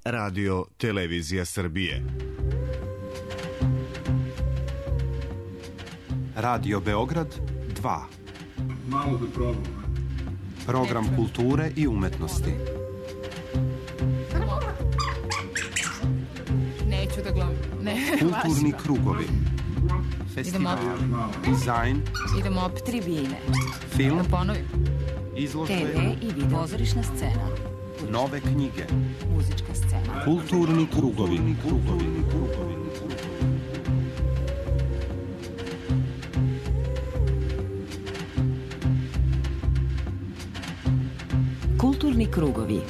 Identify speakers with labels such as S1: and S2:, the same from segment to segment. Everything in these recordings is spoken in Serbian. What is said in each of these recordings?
S1: Radio Televizija Srbije.
S2: Radio Beograd 2.
S3: Malo da probam.
S2: Program kulture i umetnosti.
S4: Neću da gledam.
S2: Kulturni krugovi. Festival, dizajn.
S4: Idemo opet tribine.
S2: Film,
S4: da ponovim.
S2: izložbe,
S4: TV i video. Pozorišna scena.
S2: nove knjige.
S4: Muzička scena.
S2: Kulturni krugovi.
S4: Kulturni krugovi.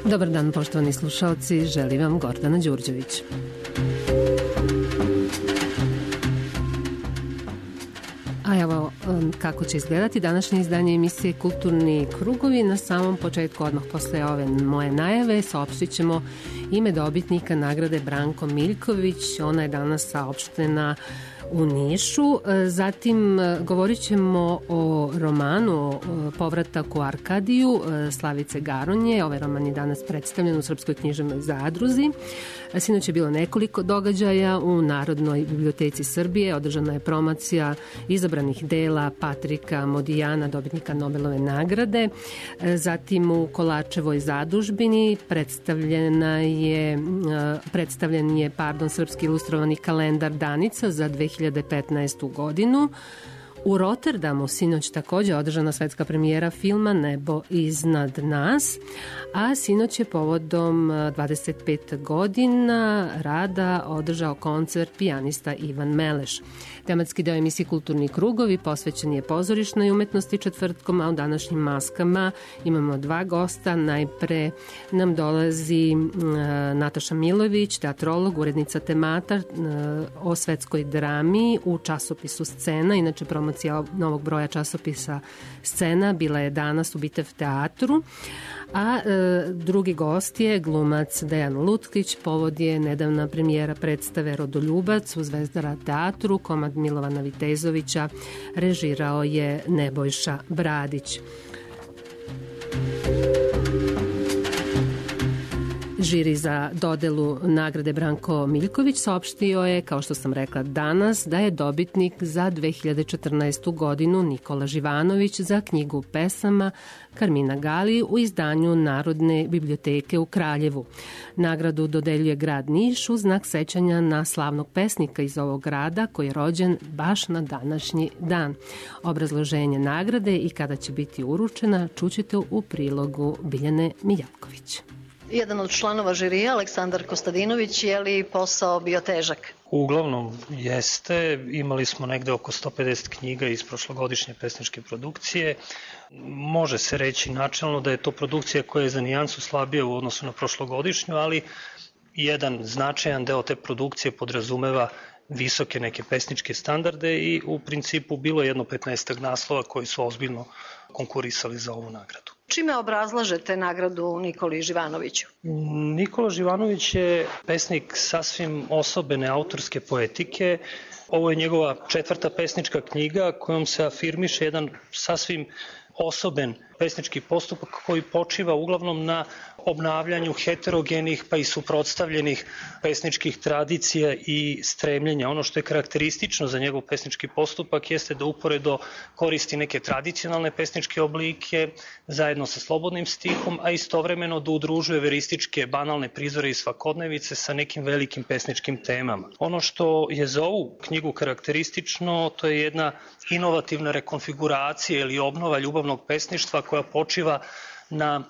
S4: Dobar dan, poštovani slušalci, želim vam Gordana Đurđević. A evo kako će izgledati današnje izdanje emisije Kulturni krugovi. Na samom početku, odmah posle ove moje najave, saopštit ćemo ime dobitnika nagrade Branko Miljković. Ona je danas saopštena u Nišu. Zatim govorit ćemo o romanu Povratak u Arkadiju Slavice Garonje. Ovaj roman je danas predstavljen u Srpskoj književnoj zadruzi. Sinoć je bilo nekoliko događaja u Narodnoj biblioteci Srbije. Održana je promocija izabranih dela Patrika Modijana, dobitnika Nobelove nagrade. Zatim u Kolačevoj zadužbini predstavljen je srpski ilustrovani kalendar Danica za 2015. godinu. U Rotterdamu sinoć takođe održana svetska premijera filma Nebo iznad nas, a sinoć je povodom 25 godina rada održao koncert pijanista Ivan Meleš. Tematski deo emisije Kulturni krugovi posvećen je pozorišnoj umetnosti četvrtkom, a u današnjim maskama imamo dva gosta. Najpre nam dolazi Nataša Milović, teatrolog, urednica temata o svetskoj drami u časopisu Scena. Inače, promocija novog broja časopisa Scena bila je danas u Bitev teatru. A drugi gost je glumac Dejan Lutkić. Povod je nedavna premijera predstave Rodoljubac u Zvezdara teatru. Komad Milovana Vitezovića režirao je Nebojša Bradić. Žiri za dodelu nagrade Branko Miljković saopštio je, kao što sam rekla danas, da je dobitnik za 2014. godinu Nikola Živanović za knjigu pesama Karmina Gali u izdanju Narodne biblioteke u Kraljevu. Nagradu dodeljuje grad Niš u znak sećanja na slavnog pesnika iz ovog grada koji je rođen baš na današnji dan. Obrazloženje nagrade i kada će biti uručena čućete u prilogu Biljane Mijavković.
S5: Jedan od članova žirija, Aleksandar Kostadinović, je li posao bio težak?
S6: Uglavnom jeste, imali smo negde oko 150 knjiga iz prošlogodišnje pesničke produkcije. Može se reći načelno da je to produkcija koja je za nijansu slabija u odnosu na prošlogodišnju, ali jedan značajan deo te produkcije podrazumeva visoke neke pesničke standarde i u principu bilo je jedno 15 naslova koji su ozbiljno konkurisali za ovu nagradu.
S5: Čime obrazlažete nagradu Nikoli Živanoviću?
S6: Nikola Živanović je pesnik sasvim osobene autorske poetike. Ovo je njegova 4. pesnička knjiga kojom se afirmiše jedan sasvim osoben pesnički postupak koji počiva uglavnom na obnavljanju heterogenih pa i suprotstavljenih pesničkih tradicija i stremljenja. Ono što je karakteristično za njegov pesnički postupak jeste da uporedo koristi neke tradicionalne pesničke oblike zajedno sa slobodnim stihom, a istovremeno da udružuje verističke banalne prizore i svakodnevice sa nekim velikim pesničkim temama. Ono što je za ovu knjigu karakteristično, to je jedna inovativna rekonfiguracija ili obnova ljubavnog pesništva koja počiva na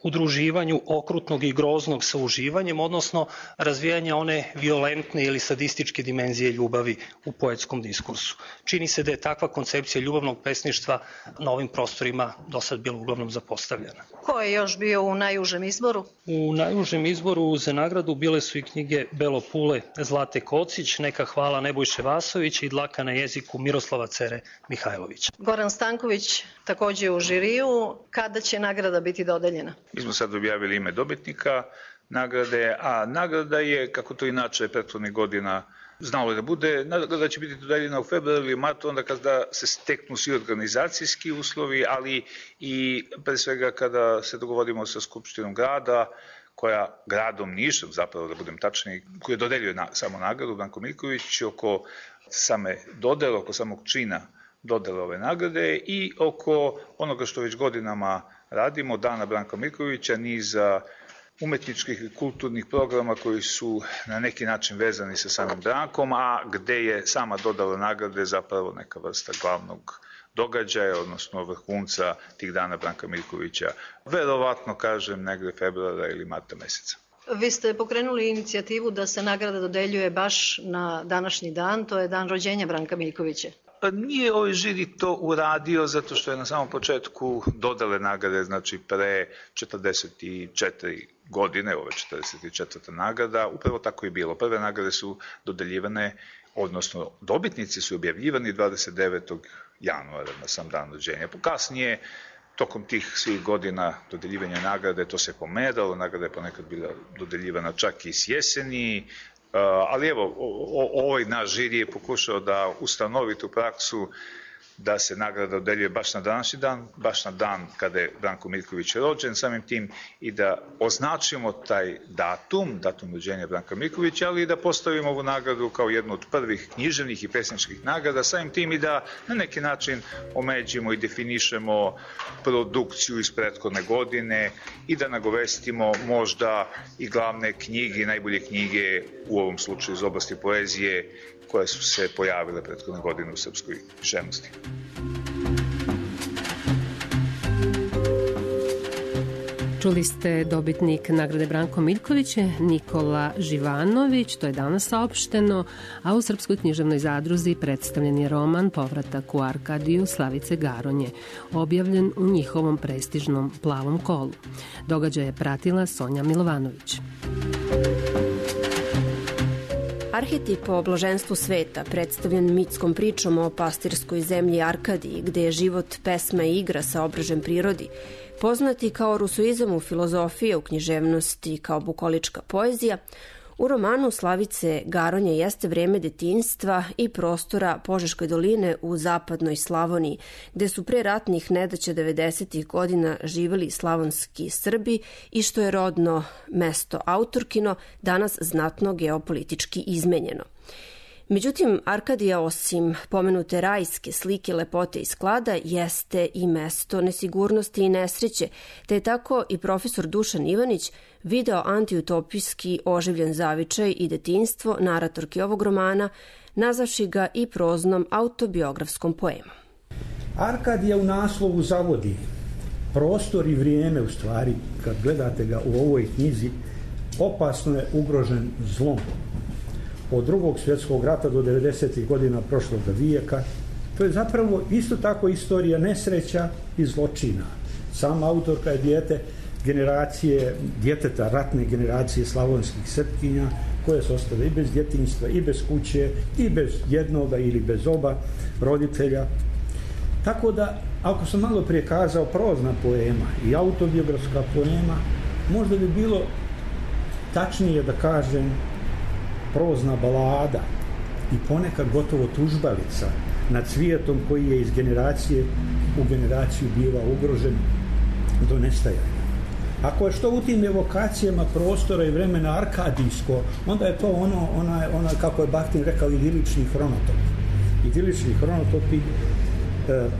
S6: udruživanju okrutnog i groznog sa uživanjem, odnosno razvijanja one violentne ili sadističke dimenzije ljubavi u poetskom diskursu. Čini se da je takva koncepcija ljubavnog pesništva na ovim prostorima do sad bila uglavnom zapostavljena.
S5: Ko je još bio u najužem izboru?
S6: U najužem izboru za nagradu bile su i knjige Belo Pule Zlate Kocić, Neka hvala Nebojše Vasovića i Dlaka na jeziku Miroslava Cere Mihajlovića.
S5: Goran Stanković takođe u žiriju. Kada će nagrada biti dodeljena?
S7: Mi smo sad objavili ime dobitnika nagrade, a nagrada je, kako to inače prethodnih godina znalo da bude, nagrada će biti dodeljena u februaru ili martu, onda kada se steknu svi organizacijski uslovi, ali i pre svega kada se dogovorimo sa Skupštinom grada, koja gradom Nišom, zapravo da budem tačniji, koja dodeljuje samo nagradu, Branko Mirković, oko same dodele, oko samog čina dodele ove nagrade i oko onoga što već godinama radimo, Dana Branka Mirkovića, niza umetničkih i kulturnih programa koji su na neki način vezani sa samim Brankom, a gde je sama dodala nagrade zapravo neka vrsta glavnog događaja, odnosno vrhunca tih Dana Branka Mirkovića, verovatno, kažem, negde februara ili marta meseca.
S5: Vi ste pokrenuli inicijativu da se nagrada dodeljuje baš na današnji dan, to je dan rođenja Branka Mirkovića.
S7: Nije ovaj žiri to uradio zato što je na samom početku dodale nagrade, znači pre 44 godine, ovo je 44. nagrada, upravo tako je bilo. Prve nagrade su dodeljivane, odnosno dobitnici su objavljivani 29. januara na sam dan rođenja. Kasnije, tokom tih svih godina dodeljivanja nagrade, to se pomeralo, nagrada je ponekad bila dodeljivana čak i s jeseni, ali evo, ovaj naš žiri je pokušao da ustanovi tu praksu da se nagrada dodeljuje baš na današnji dan, baš na dan kada je Branko Mirković rođen, samim tim i da označimo taj datum rođenja Branka Mirkovića, ali i da postavimo ovu nagradu kao jednu od prvih književnih i pesničkih nagrada, samim tim i da na neki način omeđimo i definišemo produkciju iz prethodne godine i da nagovestimo možda i glavne knjige, najbolje knjige u ovom slučaju iz oblasti poezije koje su se pojavile prethodne godine u srpskoj književnosti.
S4: Čuli ste dobitnik nagrade Branko Mirković, Nikola Živanović, to je danas saopšteno, a u Srpskoj književnoj zadruzi predstavljen je roman Povratak u Arkadiju Slavice Garonje, objavljen u njihovom prestižnom Plavom kolu. Događaj je pratila Sonja Milovanović.
S8: Arhetip o blaženstvu sveta, predstavljen mitskom pričom o pastirskoj zemlji Arkadiji, gde je život pesma i igra sa obražem prirodi, poznati kao rusoizam u filozofiji, u književnosti, kao bukolička poezija, u romanu Slavice Garonje jeste vreme detinjstva i prostora Požeškoj doline u zapadnoj Slavoniji, gde su pre ratnih nedaća 90. godina živeli slavonski Srbi i što je rodno mesto autorkino danas znatno geopolitički izmenjeno. Međutim, Arkadija, osim pomenute rajske slike, lepote i sklada, jeste i mesto nesigurnosti i nesreće, te je tako i profesor Dušan Ivanić video antiutopijski oživljen zavičaj i detinjstvo naratorki ovog romana, nazavši ga i proznom autobiografskom poemom.
S9: Arkadija u naslovu zavodi prostor i vrijeme, u stvari, kad gledate ga u ovoj knjizi, opasno je ugrožen zlom. Od Drugog svjetskog rata do 90. godina prošlog vijeka. To je zapravo isto tako istorija nesreća i zločina. Sama autorka je djeteta ratne generacije slavonskih Srpkinja, koje su ostale i bez djetinjstva, i bez kuće, i bez jednoga ili bez oba roditelja. Tako da, ako sam malo prije kazao prozna poema i autobiografska poema, možda bi bilo tačnije da kažem prozna balada i ponekad gotovo tužbalica nad svijetom koji je iz generacije u generaciju biva ugrožen do nestajanja. Ako je što u tim evokacijama prostora i vremena arkadijsko, onda je to ono kako je Bahtin rekao, idilični hronotop. Idilični hronotopi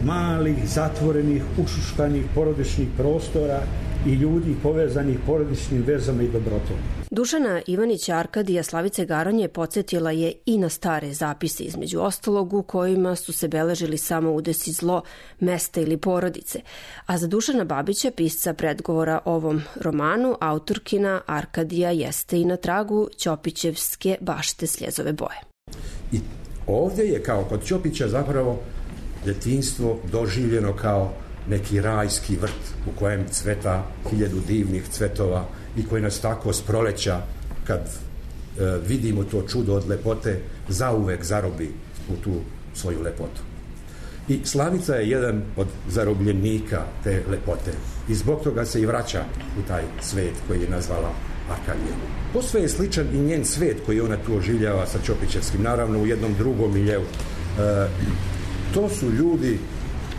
S9: malih, zatvorenih, ušuškanih porodičnih prostora i ljudi povezanih porodičnim vezama i dobrotom.
S8: Dušana Ivanića Arkadija Slavice Garonje podsjetila je i na stare zapise, između ostalog u kojima su se beležili samo udesi zlo, mesta ili porodice. A za Dušana Babića, pisca predgovora ovom romanu, autorkina Arkadija jeste i na tragu Ćopićevske bašte Sljezove boje.
S10: I ovdje je, kao kod Ćopića, zapravo djetinjstvo doživljeno kao neki rajski vrt u kojem cveta 1000 divnih cvetova i koji nas tako s proleća, kad vidimo to čudo od lepote, zauvek zarobi u tu svoju lepotu. I Slavica je jedan od zarobljenika te lepote i zbog toga se i vraća u taj svet koji je nazvala Arkadija. Posve je sličan i njen svet koji ona tu oživljava sa Ćopićevskim, naravno u jednom drugom miljeu. To su ljudi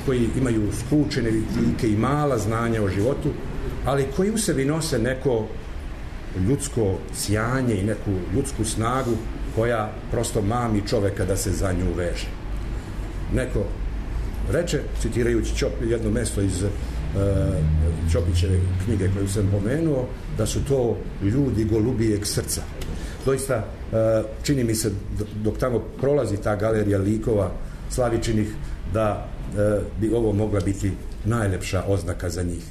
S10: koji imaju skučene vitike i mala znanja o životu, ali koji u sebi nose neko ljudsko sjanje i neku ljudsku snagu koja prosto mami čoveka da se za nju veže. Neko reče, citirajući jedno mesto iz Ćopićeve knjige koju sam pomenuo, da su to ljudi golubijeg srca. Doista, čini mi se, dok tamo prolazi ta galerija likova Slavičinih, da bi ovo mogla biti najlepša oznaka za njih.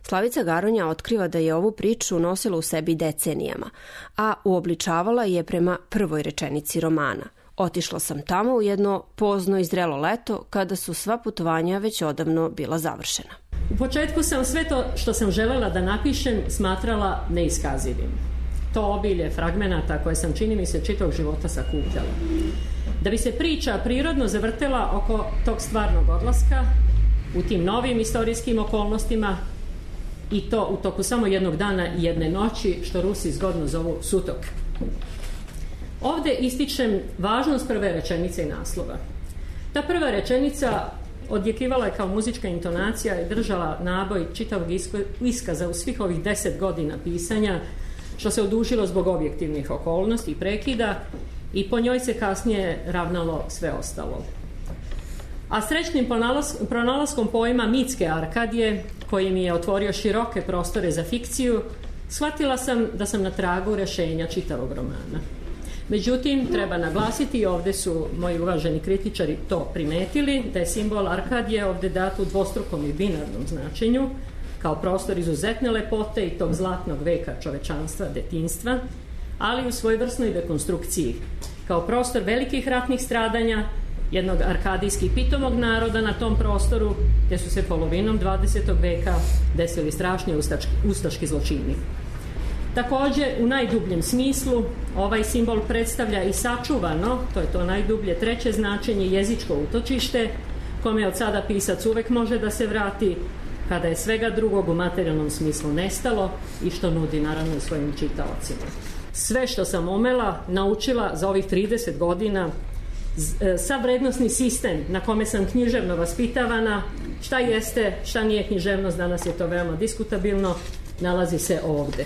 S8: Slavica Garonja otkriva da je ovu priču nosila u sebi decenijama, a uobličavala je prema prvoj rečenici romana. Otišla sam tamo u jedno pozno i zrelo leto, kada su sva putovanja već odavno bila završena.
S11: U početku sam sve to što sam želela da napišem smatrala neiskazivim. To obilje fragmenata koje sam, čini mi se, čitavog života sakupljala. Da bi se priča prirodno zavrtela oko tog stvarnog odlaska, u tim novim istorijskim okolnostima, i to u toku samo jednog dana i jedne noći, što Rusi zgodno zovu sutok. Ovde ističem važnost prve rečenice i naslova. Ta prva rečenica odjekivala je kao muzička intonacija i držala naboj čitavog iskaza u svih ovih 10 godina pisanja, što se odužilo zbog objektivnih okolnosti i prekida, i po njoj se kasnije ravnalo sve ostalo. A srećnim pronalaskom pojma mitske Arkadije, koji mi je otvorio široke prostore za fikciju, shvatila sam da sam na tragu rešenja čitavog romana. Međutim, treba naglasiti, i ovde su moji uvaženi kritičari to primetili, da je simbol Arkadije ovde dat u dvostrukom i binarnom značenju, kao prostor izuzetne lepote i tog zlatnog veka čovečanstva, detinjstva, ali u svojevrsnoj dekonstrukciji, kao prostor velikih ratnih stradanja, jednog arkadijski pitomog naroda na tom prostoru, gde su se polovinom 20. veka desili strašni ustaški zločini. Takođe, u najdubljem smislu, ovaj simbol predstavlja i sačuvano, to je to najdublje treće značenje, jezičko utočište, kome od sada pisac uvek može da se vrati, kada je svega drugog u materijalnom smislu nestalo i što nudi naravno svojim čitaocima. Sve što sam umela, naučila za ovih 30 godina, sav vrednostni sistem na kome sam književno vaspitavana, šta jeste, šta nije književnost, danas je to veoma diskutabilno, nalazi se ovde.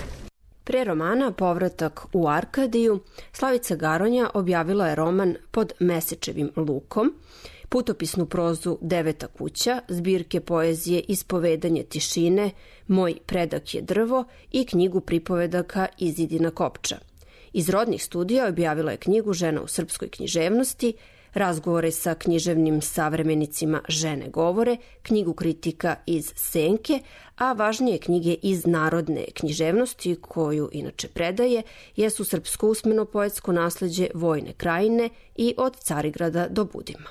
S8: Pre romana Povratak u Arkadiju, Slavica Garonja objavila je roman Pod mesečevim lukom, putopisnu prozu Deveta kuća, zbirke poezije Ispovedanje tišine, Moj predak je drvo i knjigu pripovedaka Izidina kopča. Iz rodnih studija objavila je knjigu Žena u srpskoj književnosti, razgovore sa književnim savremenicima Žene govore, knjigu kritika iz Senke, a važnije knjige iz narodne književnosti, koju inače predaje, jesu Srpsko usmeno poetsko nasleđe Vojne krajine i Od Carigrada do Budima.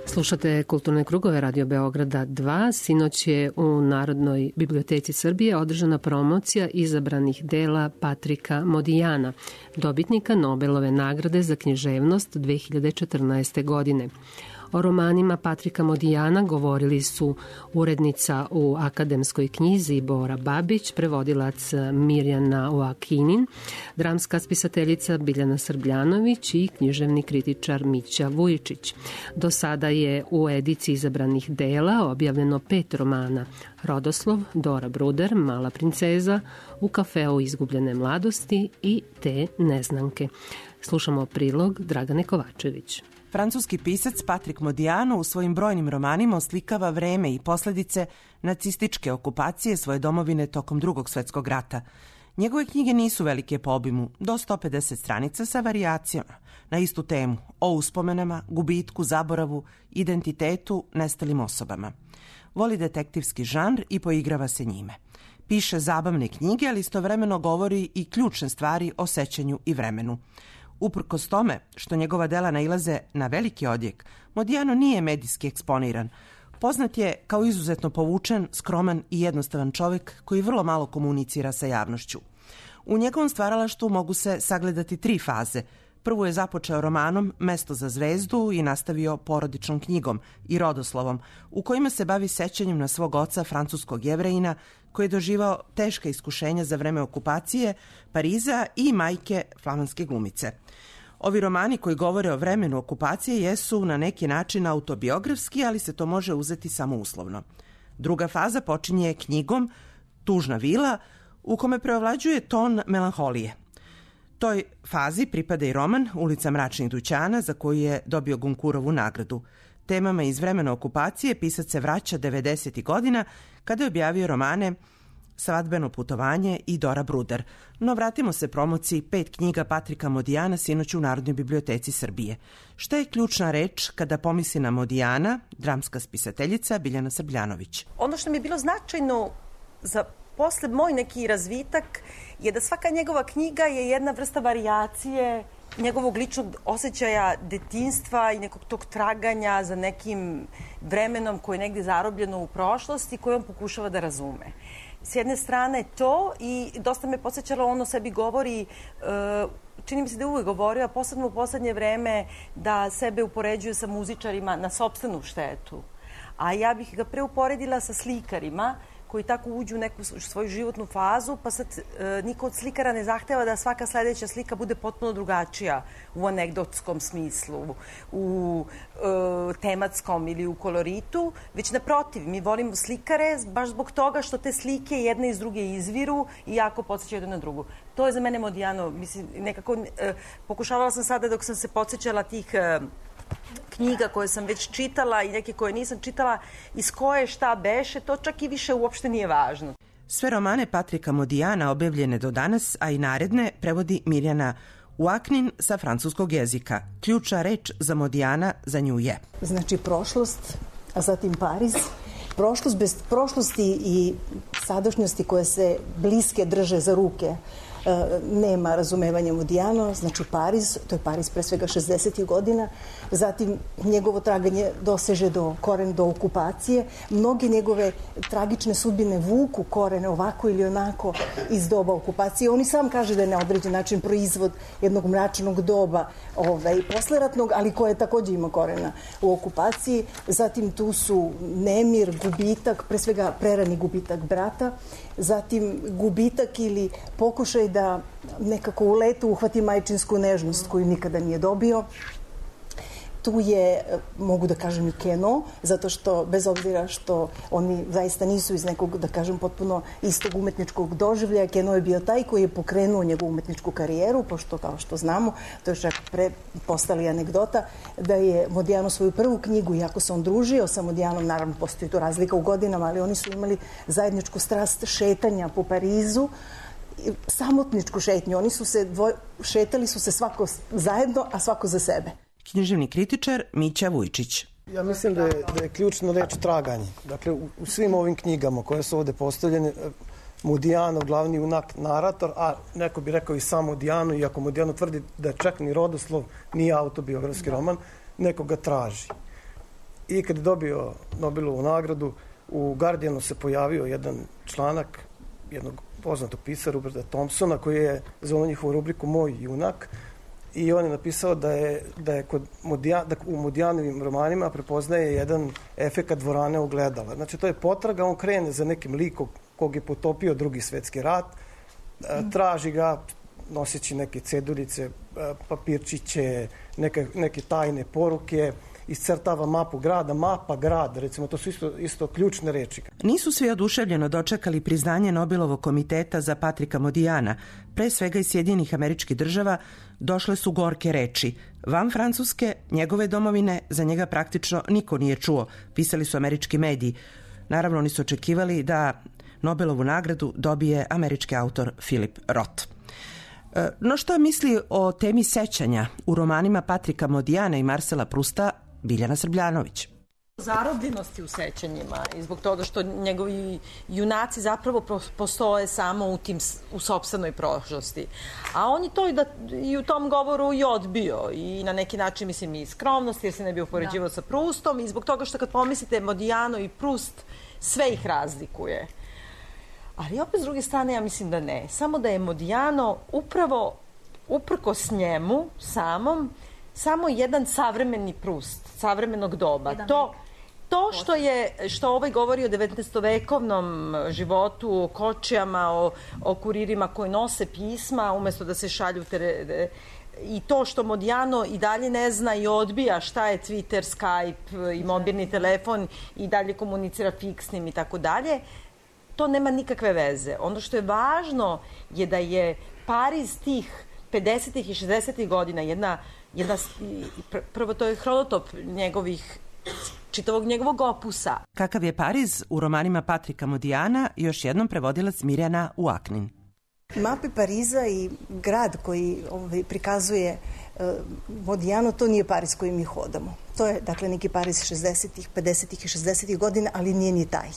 S4: Slušate Kulturne krugove Radio Beograda 2. Sinoć je u Narodnoj biblioteci Srbije održana promocija izabranih dela Patrika Modijana, dobitnika Nobelove nagrade za književnost 2014. godine. O romanima Patrika Modijana govorili su urednica u Akademskoj knjizi Bora Babić, prevodilac Mirjana Oakinin, dramska spisateljica Biljana Srbljanović i književni kritičar Mića Vujičić. Do sada je u ediciji izabranih dela objavljeno 5 romana: Rodoslov, Dora Bruder, Mala princeza, U kafeu izgubljene mladosti i Te neznanke. Slušamo prilog Dragane Kovačević.
S12: Francuski pisac Patrik Modiano u svojim brojnim romanima oslikava vreme i posledice nacističke okupacije svoje domovine tokom Drugog svetskog rata. Njegove knjige nisu velike po obimu, do 150 stranica sa varijacijama na istu temu, o uspomenama, gubitku, zaboravu, identitetu, nestalim osobama. Voli detektivski žanr i poigrava se njime. Piše zabavne knjige, ali istovremeno govori i ključne stvari o sećanju i vremenu. Uprkos tome što njegova dela nailaze na veliki odjek, Modiano nije medijski eksponiran. Poznat je kao izuzetno povučen, skroman i jednostavan čovjek koji vrlo malo komunicira sa javnošću. U njegovom stvaralaštvu mogu se sagledati 3 faze. Prvu je započeo romanom Mesto za zvezdu i nastavio porodičnom knjigom i Rodoslovom, u kojima se bavi sećanjem na svog oca, francuskog Jevrejina, koji je doživao teška iskušenja za vreme okupacije Pariza i majke flamanske glumice. Ovi romani koji govore o vremenu okupacije jesu na neki način autobiografski, ali se to može uzeti samo uslovno. Druga faza počinje knjigom Tužna vila, u kome preovlađuje ton melanholije. Toj fazi pripada i roman Ulica mračnih dućana, za koju je dobio Gonkurovu nagradu. Temama iz vremena okupacije pisac se vraća 90. godina, kada je objavio romane Svadbeno putovanje i Dora Bruder. No vratimo se promociji 5 knjiga Patrika Modijana sinoć u Narodnoj biblioteci Srbije. Šta je ključna reč kada pomisli na Modijana, dramska spisateljica Biljana Srbljanović?
S13: Ono što mi je bilo značajno za posle moj neki razvitak je da svaka njegova knjiga je jedna vrsta varijacije njegovog ličnog osjećaja detinjstva i nekog tog traganja za nekim vremenom koje je negdje zarobljeno u prošlosti koje on pokušava da razume. S jedne strane to i dosta me podsjećalo, ono sebi govori, čini mi se da je uvijek govorio, a posebno u poslednje vreme, da sebe upoređuje sa muzičarima na sopstvenu štetu. A ja bih ga preuporedila sa slikarima koji tako uđu u neku svoju životnu fazu, pa sad niko od slikara ne zahteva da svaka sledeća slika bude potpuno drugačija u anegdotskom smislu, u tematskom ili u koloritu, već naprotiv, mi volimo slikare baš zbog toga što te slike jedne iz druge izviru i jako podsjećaju jedna na drugu. To je za mene Modijano, mislim, nekako pokušavala sam sada dok sam se podsjećala tih knjiga koje sam već čitala i neke koje nisam čitala, iz koje šta beše, to čak i više uopšte nije važno.
S12: Sve romane Patrika Modijana objavljene do danas, a i naredne, prevodi Mirjana Oakinin sa francuskog jezika. Ključna reč za Modijana za nju je.
S14: Znači prošlost, a zatim Pariz. Prošlost bez prošlosti i sadašnjosti koje se bliske drže za ruke nema razumevanja Modijana, znači Pariz, to je Pariz pre svega 60. godina, zatim njegovo traganje doseže do korena, do okupacije, mnoge njegove tragične sudbine vuku korene ovako ili onako iz doba okupacije. On i sam kaže da je na određen način proizvod jednog mračnog doba posleratnog, ali koje takođe ima korena u okupaciji. Zatim tu su nemir, gubitak, pre svega prerani gubitak brata, zatim gubitak ili pokušaj da nekako u letu uhvati majčinsku nežnost koju nikada nije dobio. Tu je, mogu da kažem, i Keno, zato što, bez obzira što oni zaista nisu iz nekog, da kažem, potpuno istog umetničkog doživljaja, Keno je bio taj koji je pokrenuo njegovu umetničku karijeru, pošto, kao što znamo, to je čak postali anegdota, da je Modijano svoju prvu knjigu, iako se on družio sa Modijanom, naravno postoji tu razlika u godinama, ali oni su imali zajedničku strast šetanja po Parizu, samotničku šetnju. Oni su se šetali su se svako zajedno, a svako za sebe.
S12: Književni kritičar Mića Vujičić.
S15: Ja mislim da je ključna reč traganje. Dakle, u svim ovim knjigama koje su ovde postavljene, Modijanov glavni junak narator, a neko bi rekao i sam Modijano, iako Modijano tvrdi da čak ni rodoslov nije autobiografski roman, neko ga traži. I kad je dobio Nobelovu nagradu, u Guardianu se pojavio jedan članak jednog poznatog pisara, Roberta Thompsona, koji je zvao njihovu rubriku Moj junak, i on je napisao da je u Modijanovim romanima prepoznaje jedan efekat dvorane ogledala. Znači, to je potraga, on krene za nekim likom kog je potopio Drugi svetski rat, traži ga noseći neke ceduljice, papirčiće, neke tajne poruke, iscrtava mapu grada, mapa grad, recimo, to su isto ključne reči.
S12: Nisu svi oduševljeno dočekali priznanje Nobelovog komiteta za Patrika Modijana. Pre svega iz Sjedinjenih Američkih Država došle su gorke reči. Van Francuske, njegove domovine, za njega praktično niko nije čuo, pisali su američki mediji. Naravno, oni su očekivali da Nobelovu nagradu dobije američki autor Philip Roth. No što misli o temi sećanja u romanima Patrika Modijana i Marcela Prusta Biljana Srbljanović?
S13: Zarobljenosti u sećanjima i zbog toga što njegovi junaci zapravo postoje samo u sopstvenoj prošlosti. A on je to i u tom govoru i odbio i na neki način, mislim, i skromnost, jer se ne bi upoređivao sa Prustom, i zbog toga što kad pomislite Modijano i Prust, sve ih razlikuje. Ali opet s druge strane ja mislim da ne. Samo da je Modijano upravo uprkos njemu samom samo jedan savremeni Prust, savremenog doba. To što ovaj govori o 19-vekovnom životu, o kočijama, o kuririma koji nose pisma umesto da se šalju i to što Modijano i dalje ne zna i odbija šta je Twitter, Skype i mobilni telefon i dalje komunicira fiksnim i tako dalje, to nema nikakve veze. Ono što je važno je da je Pariz tih 50. i 60. godina prvo to je hronotop čitavog njegovog opusa.
S12: Kakav je Pariz u romanima Patrika Modijana, još jednom prevodilac Mirjana Uaknin.
S14: Mape Pariza i grad koji prikazuje Modijano, to nije Pariz koji mi hodamo. To je, dakle, neki Pariz 60-ih, 50-ih i 60-ih godina, ali nije ni taj.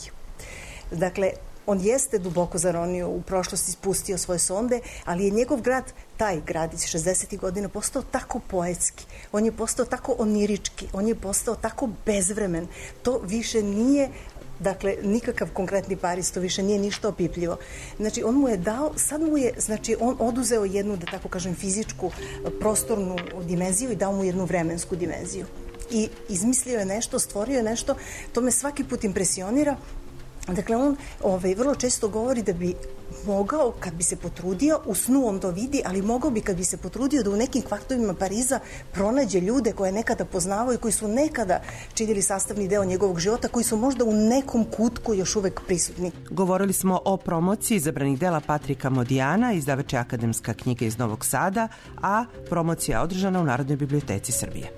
S14: Dakle, on jeste duboko zaronio u prošlosti, spustio svoje sonde, ali je njegov grad, taj grad iz 60. godina, postao tako poetski, on je postao tako onirički, on je postao tako bezvremen. To više nije, dakle, nikakav konkretni Pariz, to više nije ništa opipljivo. Znači, on mu je dao, sad mu je, znači, on oduzeo jednu, da tako kažem, fizičku, prostornu dimenziju i dao mu jednu vremensku dimenziju. I izmislio je nešto, stvorio je nešto, to me svaki put impresionira. Dakle, on vrlo često govori da bi mogao, kad bi se potrudio, u snu on to vidi, ali mogao bi, kad bi se potrudio, da u nekim kvartovima Pariza pronađe ljude koje nekada poznavao i koji su nekada činili sastavni deo njegovog života, koji su možda u nekom kutku još uvek prisutni.
S12: Govorili smo o promociji izabranih dela Patrika Modijana, izdavač je Akademska knjiga iz Novog Sada, a promocija održana u Narodnoj biblioteci Srbije.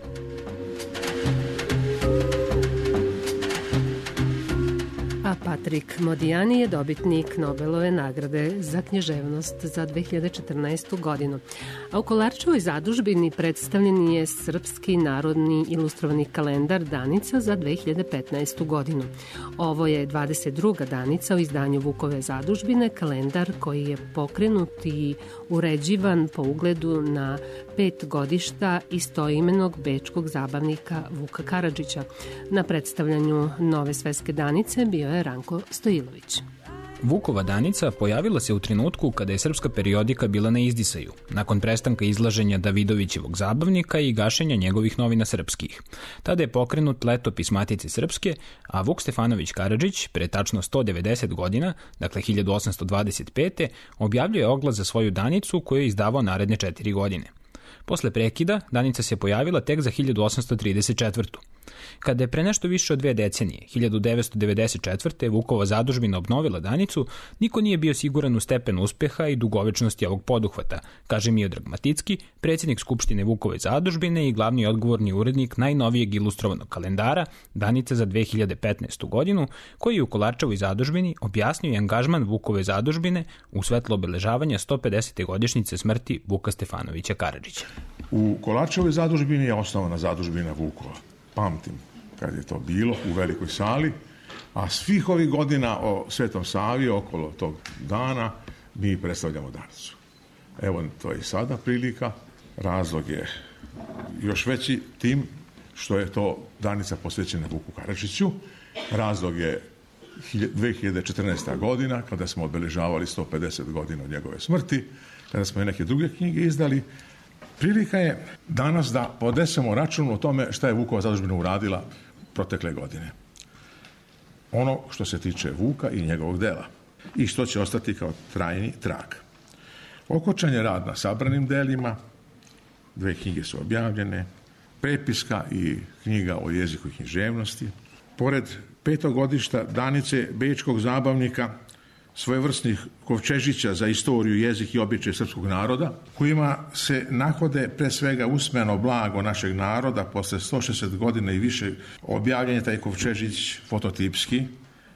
S4: A Patrik Modijan je dobitnik Nobelove nagrade za književnost za 2014. godinu. A u Kolarčevoj zadužbini predstavljen je Srpski narodni ilustrovani kalendar Danica za 2015. godinu. Ovo je 22. danica u izdanju Vukove zadužbine, kalendar koji je pokrenut i uređivan po ugledu na 5 godišta istoimenog bečkog zabavnika Vuka Karadžića. Na predstavljanju Nove svetske danice bio je Ranko Stojilović.
S16: Vukova danica pojavila se u trenutku kada je srpska periodika bila na izdisaju, nakon prestanka izlaženja Davidovićevog zabavnika i gašenja njegovih novina srpskih. Tada je pokrenut letopis Matice Srpske, a Vuk Stefanović Karadžić, pre tačno 190 godina, dakle 1825. objavljuje oglas za svoju danicu koju je izdavao naredne 4 godine. Posle prekida, danica se pojavila tek za 1834. Kada je pre nešto više od 2 decenije, 1994. Vukova zadužbina obnovila danicu, niko nije bio siguran u stepen uspeha i dugovečnosti ovog poduhvata, kaže Miodrag Maticki, predsjednik Skupštine Vukove zadužbine i glavni odgovorni urednik najnovijeg ilustrovanog kalendara Danica za 2015. godinu, koji je u Kolarčevoj zadužbini objasnio i angažman Vukove zadužbine u svetlo obeležavanja 150. godišnjice smrti Vuka Stefanovića Karadžića.
S17: U Kolarčevoj zadužbini je osnovana zadužbina Vukova. Pamtim kad je to bilo u velikoj sali A svih ovih godina o Svetom Savi, okolo tog dana, mi predstavljamo Danicu. Evo, to je i sada prilika. Razlog je još veći tim što je to Danica posvećena Vuku Karadžiću. Razlog je 2014. godina, kada smo obeležavali 150 godina od njegove smrti, kada smo i neke druge knjige izdali. Prilika je danas da podesemo račun o tome šta je Vukova zadužbina uradila protekle godine. Ono što se tiče Vuka i njegovog dela i što će ostati kao trajni trag. Okončan je rad na sabranim delima, 2 knjige su objavljene, prepiska i knjiga o jeziku i književnosti. Pored 5. godišta Danice bečkog zabavnika, svojevrsnih kovčežića za istoriju, jezik i običaj srpskog naroda, kojima se nahode pre svega usmeno blago našeg naroda posle 160 godina i više objavljen je taj kovčežić fototipski,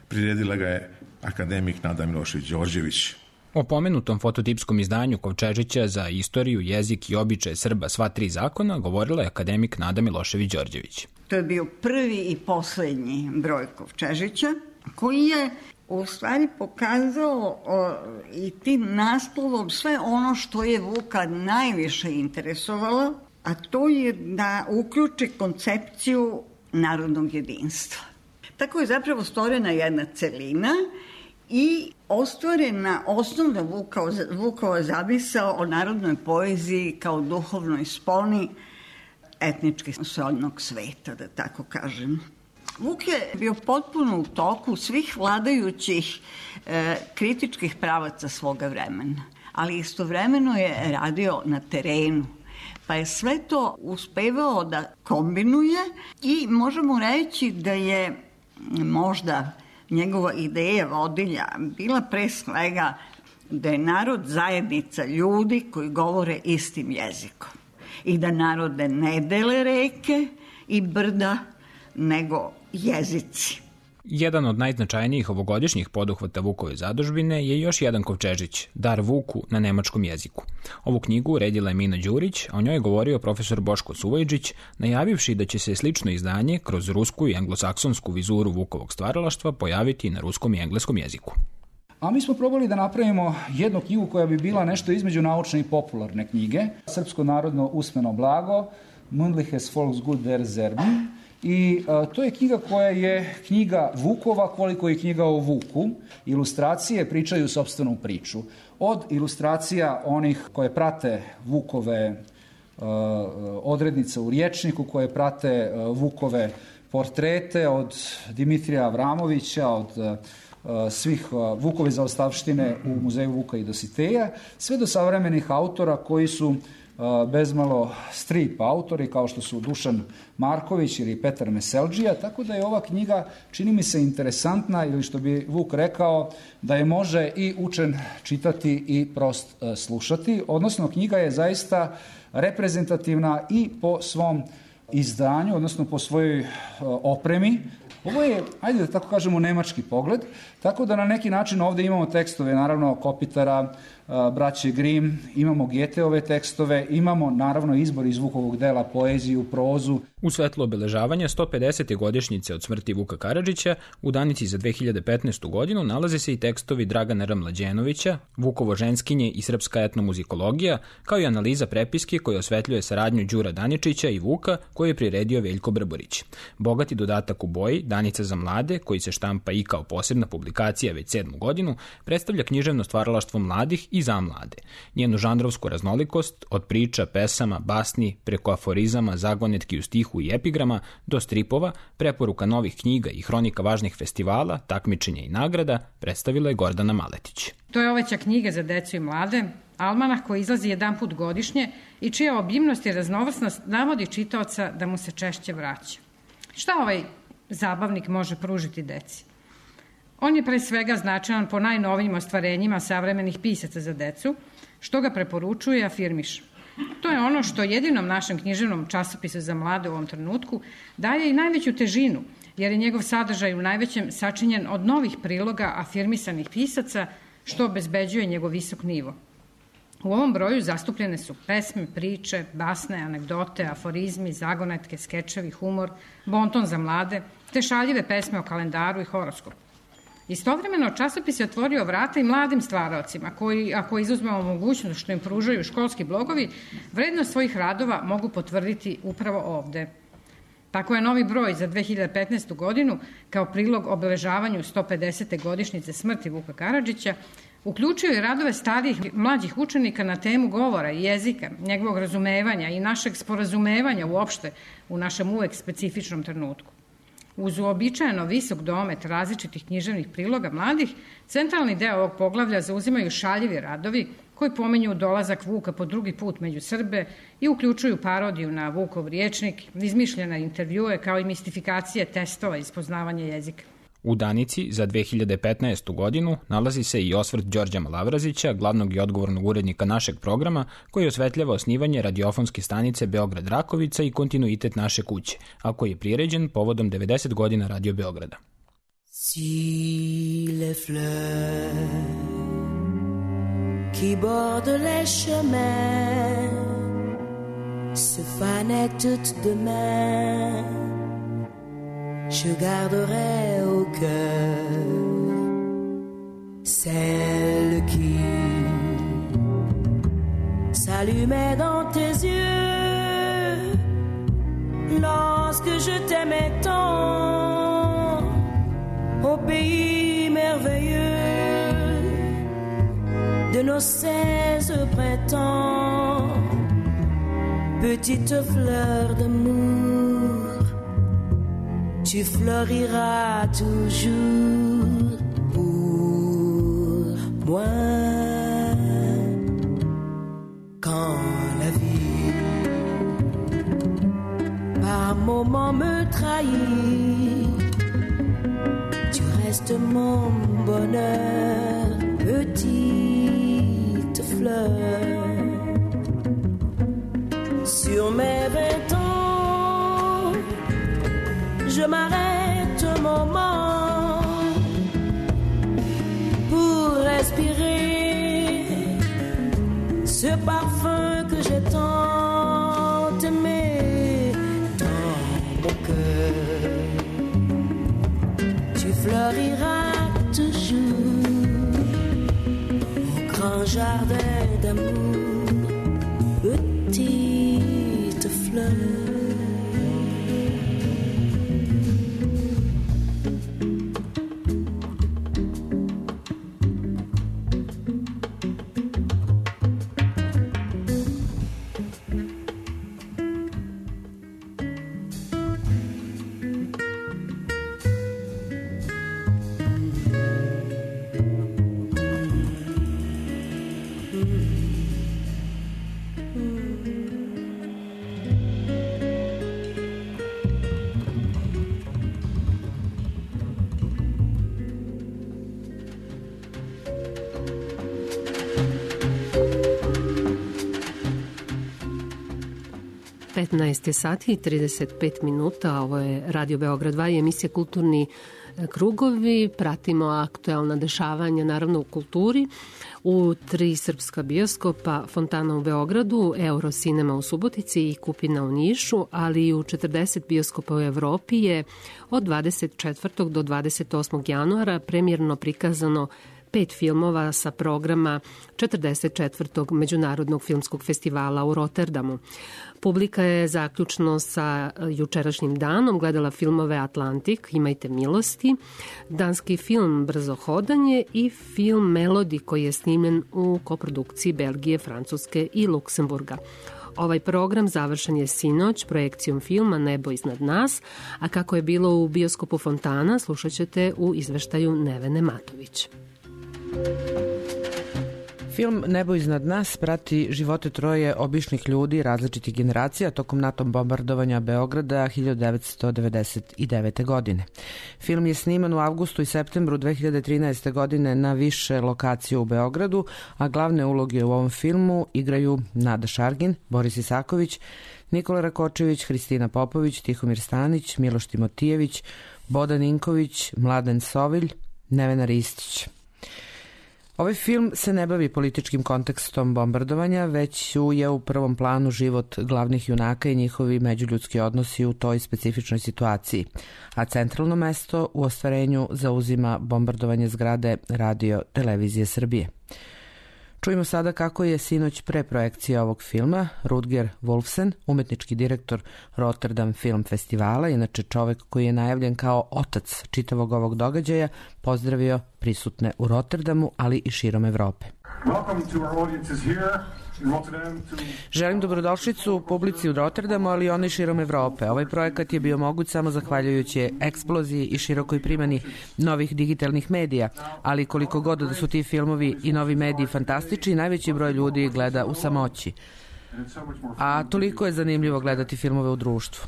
S17: priredila ga je akademik Nada Milošević-Đorđević.
S16: O pomenutom fototipskom izdanju Kovčežića za istoriju, jezik i običaje Srba sva 3 zakona govorila je akademik Nada Milošević-Đorđević.
S18: To je bio prvi i poslednji broj Kovčežića, koji je u stvari pokazao i tim naslovom sve ono što je Vuka najviše interesovalo, a to je da uključi koncepciju narodnog jedinstva. Tako je zapravo stvorena jedna celina i ostvarena osnovna Vukova zamisao o narodnoj poeziji kao duhovnoj sponi etnički srodnog sveta, da tako kažem. Vuk je bio potpuno u toku svih vladajućih kritičkih pravaca svoga vremena, ali istovremeno je radio na terenu, pa je sve to uspevao da kombinuje i možemo reći da je možda njegova ideja vodilja bila pre svega da je narod zajednica ljudi koji govore istim jezikom i da narode ne dele reke i brda, nego jezici.
S16: Jedan od najznačajnijih ovogodišnjih poduhvata Vukove zadužbine je još jedan kovčežić, Dar Vuku na nemačkom jeziku. Ovu knjigu uredila je Mina Đurić, a o njoj je govorio profesor Boško Suvojđić, najavivši da će se slično izdanje kroz rusku i anglosaksonsku vizuru Vukovog stvaralaštva pojaviti na ruskom i engleskom jeziku.
S19: A mi smo probali da napravimo jednu knjigu koja bi bila nešto između naučne i popularne knjige, Srpsko narodno usmeno blago, Mündliches Volksgut der Serben. I to je knjiga koja je knjiga Vukova koliko je knjiga o Vuku. Ilustracije pričaju sopstvenu priču. Od ilustracija onih koje prate Vukove odrednice u rječniku, koje prate Vukove portrete, od Dimitrija Avramovića, od svih Vukove zaostavštine u Muzeju Vuka i Dositeja, sve do savremenih autora koji su bezmalo strip autori kao što su Dušan Marković ili Petar Meseldžija, tako da je ova knjiga, čini mi se, interesantna ili što bi Vuk rekao, da je može i učen čitati i prost slušati, odnosno knjiga je zaista reprezentativna i po svom izdanju, odnosno po svojoj opremi. Ovo je, ajde da tako kažemo, nemački pogled, tako da na neki način ovde imamo tekstove, naravno, Kopitara, braće Grimm, imamo Geteove tekstove, imamo, naravno, izbor iz Vukovog dela, poeziju, prozu.
S16: U svetlu obeležavanja 150. godišnjice od smrti Vuka Karadžića, u Danici za 2015. godinu nalaze se i tekstovi Dragana R. Mlađenovića, Vukovo ženskinje i srpska etnomuzikologija, kao i analiza prepiske koja osvetljuje saradnju Đura Daničića i Vuka, koju je priredio Veljko Brborić. Bogati dodatak u boji, Danica za mlade, koji se štampa i kao posebna publikacija već 7. godinu, predstavlja književno stvaralaštvo mladih i za mlade. Njenu žanrovsku raznolikost, od priča, pesama, basni, preko aforizama, zagonetki u stihu i epigrama, do stripova, preporuka novih knjiga i hronika važnih festivala, takmičenja i nagrada, predstavila je Gordana Maletić.
S20: To je oveća knjiga za decu i mlade, almanah koji izlazi jedan put godišnje i čija obimnost i raznovrsnost navodi čitaoca da mu se češće vraća. Šta ovaj zabavnik može pružiti deci? On je pre svega značajan po najnovijim ostvarenjima savremenih pisaca za decu, što ga preporučuje i afirmiše. To je ono što jedinom našem književnom časopisu za mlade u ovom trenutku daje i najveću težinu, jer je njegov sadržaj u najvećem sačinjen od novih priloga afirmisanih pisaca, što obezbeđuje njegov visok nivo. U ovom broju zastupljene su pesme, priče, basne, anegdote, aforizmi, zagonetke, skečevi, humor, bonton za mlade, te šaljive pesme o kalendaru i horoskopu. Istovremeno, časopis je otvorio vrata i mladim stvaraocima koji, ako izuzmemo mogućnost što im pružaju školski blogovi, vrednost svojih radova mogu potvrditi upravo ovde. Tako je novi broj za 2015. godinu, kao prilog obeležavanju 150. godišnjice smrti Vuka Karadžića, uključio i radove starijih mlađih učenika na temu govora i jezika, njegovog razumevanja i našeg sporazumevanja uopšte u našem uvek specifičnom trenutku. Uz uobičajeno visok domet različitih književnih priloga mladih, centralni deo ovog poglavlja zauzimaju šaljivi radovi koji pominju dolazak Vuka po drugi put među Srbe i uključuju parodiju na Vukov riječnik, izmišljene intervjue kao i mistifikacije testova iz poznavanja jezika.
S16: U Danici za 2015. godinu nalazi se i osvrt Đorđa Malavrazića, glavnog i odgovornog urednika našeg programa, koji osvetljava osnivanje radiofonske stanice Beograd Rakovica i kontinuitet naše kuće, a koji je priređen povodom 90 godina Radio Beograda.
S21: Si les fleurs qui bordent les chemins se fanaient toutes de main, je garderai au cœur celle qui s'allumait dans tes yeux lorsque je t'aimais tant au pays merveilleux de nos 16 printemps, petite fleur d'amour, tu floriras toujours pour moi. Quand la vie par moments me trahit, tu restes mon bonheur, petite fleur. Sur mes 20 ans, je m'arrête un moment pour respirer ce parfum que j'ai tant aimé dans mon cœur. Tu floriras toujours au grand jardin d'amour, petite fleur.
S4: sati i 35 minuta. Ovo je Radio Beograd 2 i emisija Kulturni krugovi. Pratimo aktuelna dešavanja, naravno u kulturi. U 3 srpska bioskopa, Fontana u Beogradu, Eurocinema u Subotici i Kupina u Nišu, ali i u 40 bioskopa u Evropi je od 24. do 28. januara premijerno prikazano 5 filmova sa programa 44. Međunarodnog filmskog festivala u Rotterdamu. Publika je zaključno sa jučerašnjim danom gledala filmove Atlantik, Imajte milosti, danski film Brzo hodanje i film Melodi koji je snimljen u koprodukciji Belgije, Francuske i Luksemburga. Ovaj program završen je sinoć projekcijom filma Nebo iznad nas, a kako je bilo u bioskopu Fontana slušat ćete u izveštaju Nevene Matović.
S12: Film Nebo iznad nas prati živote troje običnih ljudi različitih generacija tokom NATO bombardovanja Beograda 1999. godine. Film je sniman u avgustu i septembru 2013. godine na više lokacija u Beogradu, a glavne uloge u ovom filmu igraju Nada Šargin, Boris Isaković, Nikola Rakočević, Hristina Popović, Tihomir Stanić, Miloš Timotijević, Bodan Inković, Mladen Sovilj, Nevena Ristić. Ovaj film se ne bavi političkim kontekstom bombardovanja, već je u prvom planu život glavnih junaka i njihovi međuljudski odnosi u toj specifičnoj situaciji, a centralno mesto u ostvarenju zauzima bombardovanje zgrade Radio Televizije Srbije. Čujemo sada kako je sinoć pre projekcije ovog filma Rutger Wolfsen, umetnički direktor Rotterdam Film Festivala, inače čovek koji je najavljen kao otac čitavog ovog događaja, pozdravio prisutne u Rotterdamu, ali i širom Evrope. Želim dobrodošlicu publici u Rotterdamu, ali i onoj širom Evrope. Ovaj projekat je bio moguć samo zahvaljujući eksploziji i širokoj primjeni novih digitalnih medija, ali koliko god da su ti filmovi i novi mediji fantastični, najveći broj ljudi gleda u samoći. A toliko je zanimljivo gledati filmove u društvu.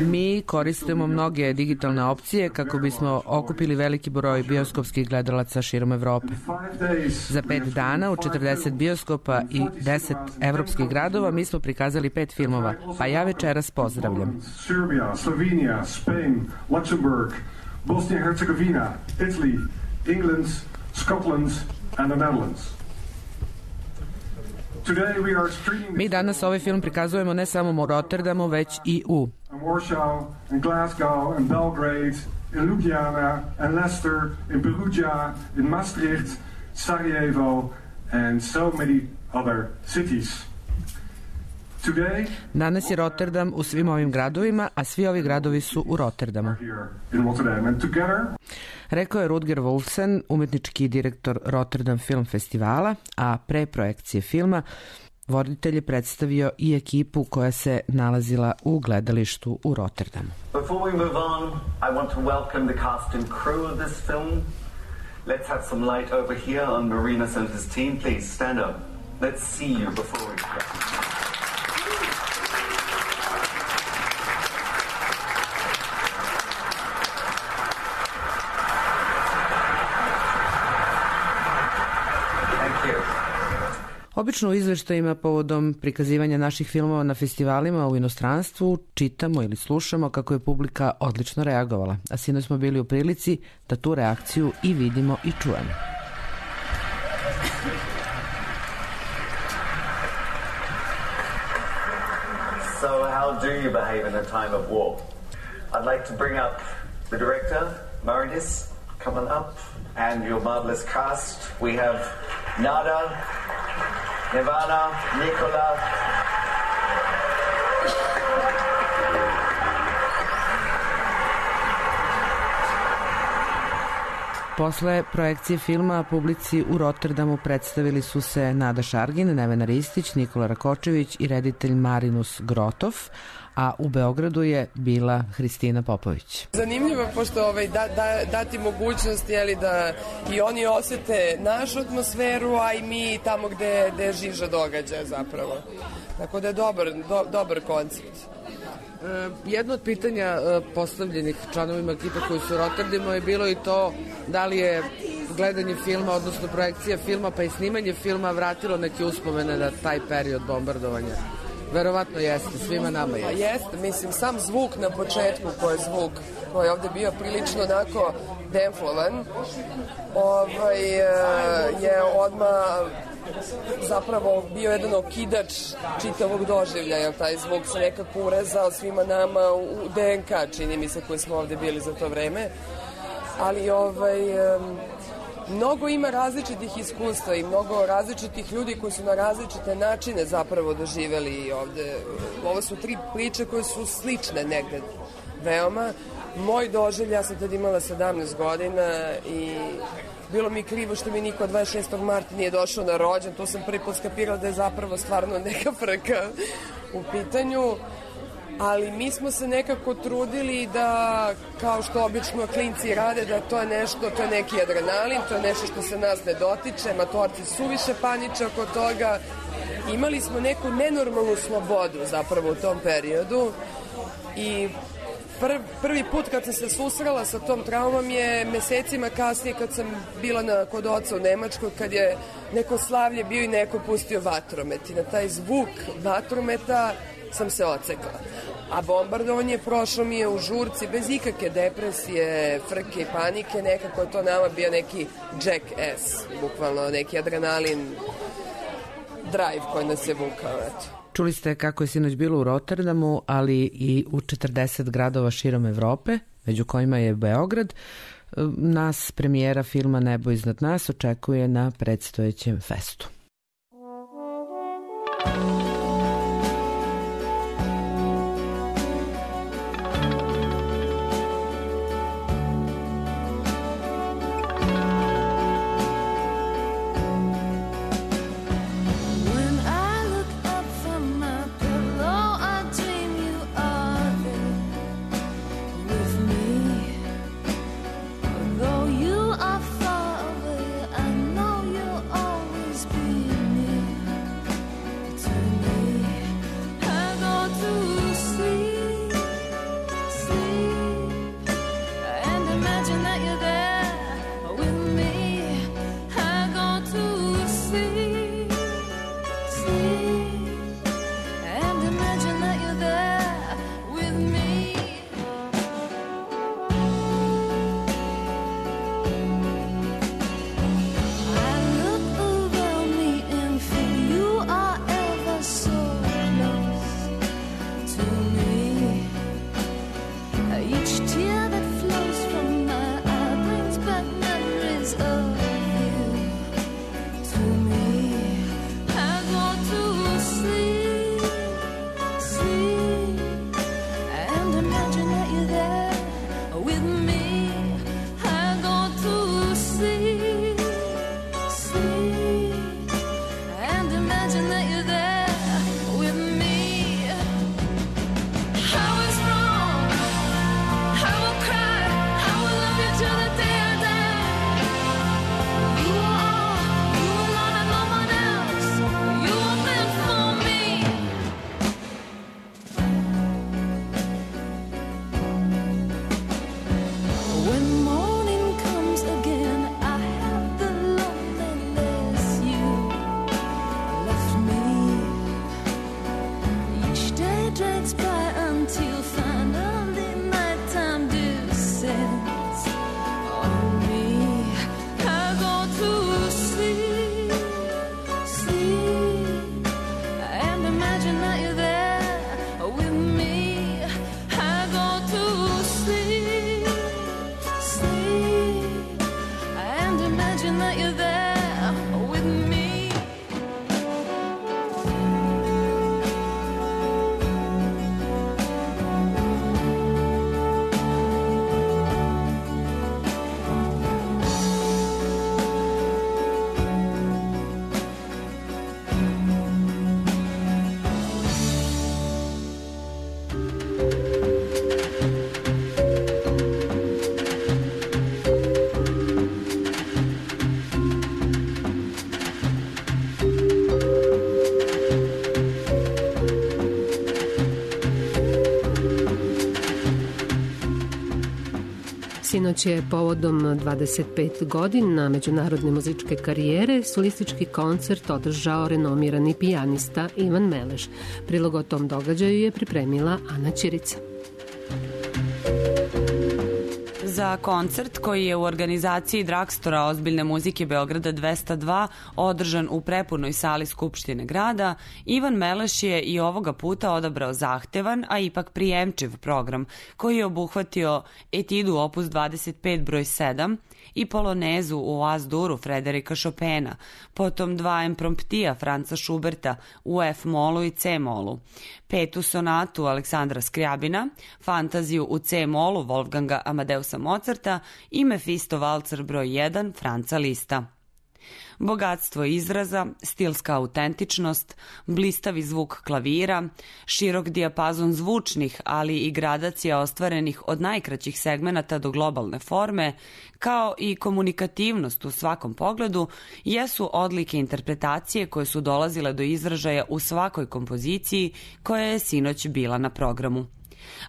S12: Mi koristimo mnoge digitalne opcije kako bismo okupili veliki broj bioskopskih gledalaca širom Evrope. Za 5 dana u 40 bioskopa i 10 evropskih gradova mi smo prikazali 5 filmova, pa ja večeras pozdravljam.
S3: Serbia, Slovenija, Spain, Luxembourg, Bosnia i Hercegovina, Italy, England, Scotland and the Netherlands.
S12: Mi danas ovaj film prikazujemo ne samo u Rotterdamu, već i u
S3: Warsaw, in Glasgow, in Belgrade, in Ljubljana, in Leicester, in Perugia, in Maastricht, Sarajevo and so many other cities.
S12: Danas je Rotterdam u svim ovim gradovima, a svi ovi gradovi su u Rotterdamu. Rekao je Rutger Wolfsen, umetnički direktor Rotterdam Film Festivala, a pre projekcije filma voditelj je predstavio i ekipu koja se nalazila u gledalištu u Rotterdamu.
S1: Before we move on, I want to welcome the cast and crew of this film. Let's have some light over here on Marina Center's team. Please stand up. Let's see you before we go.
S12: Obično u izveštajima povodom prikazivanja naših filmova na festivalima u inostranstvu čitamo ili slušamo kako je publika odlično reagovala, a sinoć smo bili u prilici da tu reakciju i vidimo i čujemo.
S1: So how do you behave in a time of war? I'd like to bring up the director, Marinus, come on up, and your marvelous cast. We have Nada, Ivana, Nikola.
S12: Posle projekcije filma publici u Rotterdamu predstavili su se Nada Šargin, Nevena Ristić, Nikola Rakočević i reditelj Marinus Grotov, a u Beogradu je bila Hristina Popović.
S22: Zanimljivo je pošto dati mogućnost da i oni osete našu atmosferu, a i mi tamo gde žiža događaja zapravo. Tako da je dobar koncept.
S12: Jedno od pitanja postavljenih članovima ekipe koji su u Rotterdamu je bilo i to da li je gledanje filma, odnosno projekcija filma pa i snimanje filma vratilo neke uspomene na taj period bombardovanja. Verovatno jeste, svima nama je.
S22: Jeste, mislim, sam zvuk na početku koji je ovde bio prilično onako demflovan, je odmah zapravo bio jedan okidač čitavog doživljaja. Taj zvuk se nekako urezao svima nama u DNK, čini mi se, koji smo ovde bili za to vreme. Ali mnogo ima različitih iskustva i mnogo različitih ljudi koji su na različite načine zapravo doživeli ovde. Ovo su 3 priče koje su slične negde veoma. Moj doživljaj, ja sam tad imala 17 godina i bilo mi krivo što mi niko 26. marta nije došao na rođen. Tu sam prvi put skapirala da je zapravo stvarno neka frka u pitanju. Ali mi smo se nekako trudili da, kao što obično klinci rade, da to je neki adrenalin, to je nešto što se nas ne dotiče, matorci suviše paniče oko toga. Imali smo neku nenormalnu slobodu zapravo u tom periodu i prvi put kad sam se susrela sa tom traumom je mesecima kasnije kad sam bila kod oca u Nemačkoj, kad je neko slavlje bio i neko pustio vatromet i na taj zvuk vatrometa sam se ocekla. A bombardovanje prošlo mi je u žurci, bez ikakve depresije, frke i panike, nekako je to nama bio neki jackass, bukvalno neki adrenalin drive koji nas je vukao, eto.
S2: Čuli ste kako je sinoć bilo u Rotterdamu, ali i u 40 gradova širom Evrope, među kojima je Beograd. Nas premijera filma Nebo iznad nas očekuje na predstojećem festu.
S4: Sinoć je povodom 25 godina međunarodne muzičke karijere solistički koncert održao renomirani pijanista Ivan Meleš. Prilog o tom događaju je pripremila Ana Ćirica.
S6: Za koncert koji je u organizaciji Dragstora ozbiljne muzike Beograda 202 održan u prepunoj sali Skupštine grada, Ivan Meleš je i ovoga puta odabrao zahtevan, a ipak prijemčiv program koji je obuhvatio etidu opus 25 broj 7 i polonezu u As-Duru Frederika Chopina, potom dva impromptija Franca Schuberta u F-molu i C-molu, petu sonatu Aleksandra Skrjabina, fantaziju u C-molu Wolfganga Amadeusa Mozarta i Mefisto valcer broj 1 Franca Lista. Bogatstvo izraza, stilska autentičnost, blistavi zvuk klavira, širok dijapazon zvučnih, ali i gradacija ostvarenih od najkraćih segmenata do globalne forme, kao i komunikativnost u svakom pogledu, jesu odlike interpretacije koje su dolazile do izražaja u svakoj kompoziciji koja je sinoć bila na programu.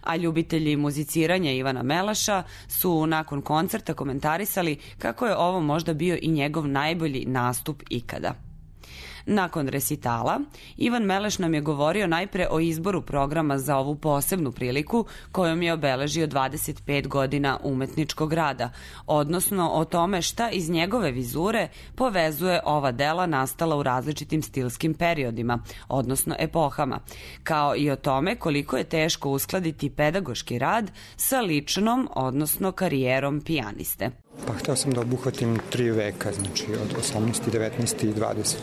S6: A ljubitelji muziciranja Ivana Meleša su nakon koncerta komentarisali kako je ovo možda bio i njegov najbolji nastup ikada. Nakon resitala, Ivan Meleš nam je govorio najpre o izboru programa za ovu posebnu priliku kojom je obeležio 25 godina umetničkog rada, odnosno o tome šta iz njegove vizure povezuje ova dela nastala u različitim stilskim periodima, odnosno epohama, kao i o tome koliko je teško uskladiti pedagoški rad sa ličnom, odnosno karijerom pijaniste.
S5: Pa hteo sam da obuhvatim 3 veka, znači od 18., 19. i 20.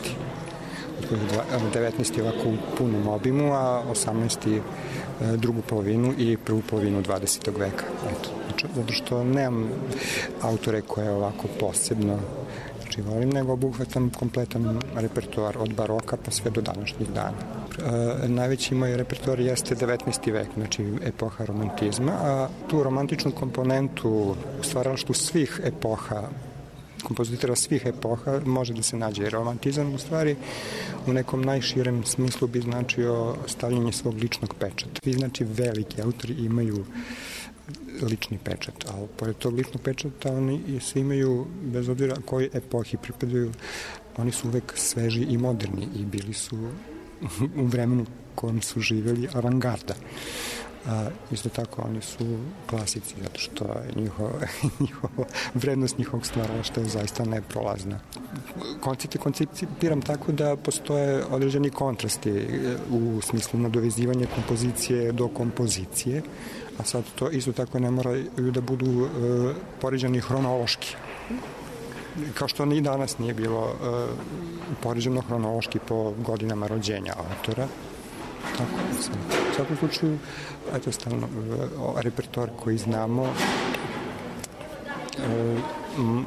S5: 19. je ovako u punom obimu, a 18. drugu polovinu i prvu polovinu 20. veka. Eto, zato što nemam autore koje ovako posebno volim, nego obuhvatam kompletan repertoar od baroka pa sve do današnjih dana. Najveći moj repertoar jeste 19. vek, znači epoha romantizma, a tu romantičnu komponentu u stvaralaštvu svih epoha, kompozitora svih epoha može da se nađe. Romantizam u stvari u nekom najširem smislu bi značio stavljanje svog ličnog pečata. Vi znači veliki autori imaju lični pečat, a pored tog ličnog pečata oni svi imaju, bez obzira koji epohi pripadaju, oni su uvek sveži i moderni i bili su u vremenu kojem su živjeli avangarda. Isto tako oni su klasici, zato što vrednost njihovog stvaralaštva je zaista neprolazna. Koncepte koncipiram tako da postoje određeni kontrasti u smislu nadovezivanja kompozicije do kompozicije, a sad to isto tako ne moraju da budu poređani hronološki. Kao što ni danas nije bilo poređeno hronološki po godinama rođenja autora. Tako, u svakom slučaju, eto, stalno, repertoar koji znamo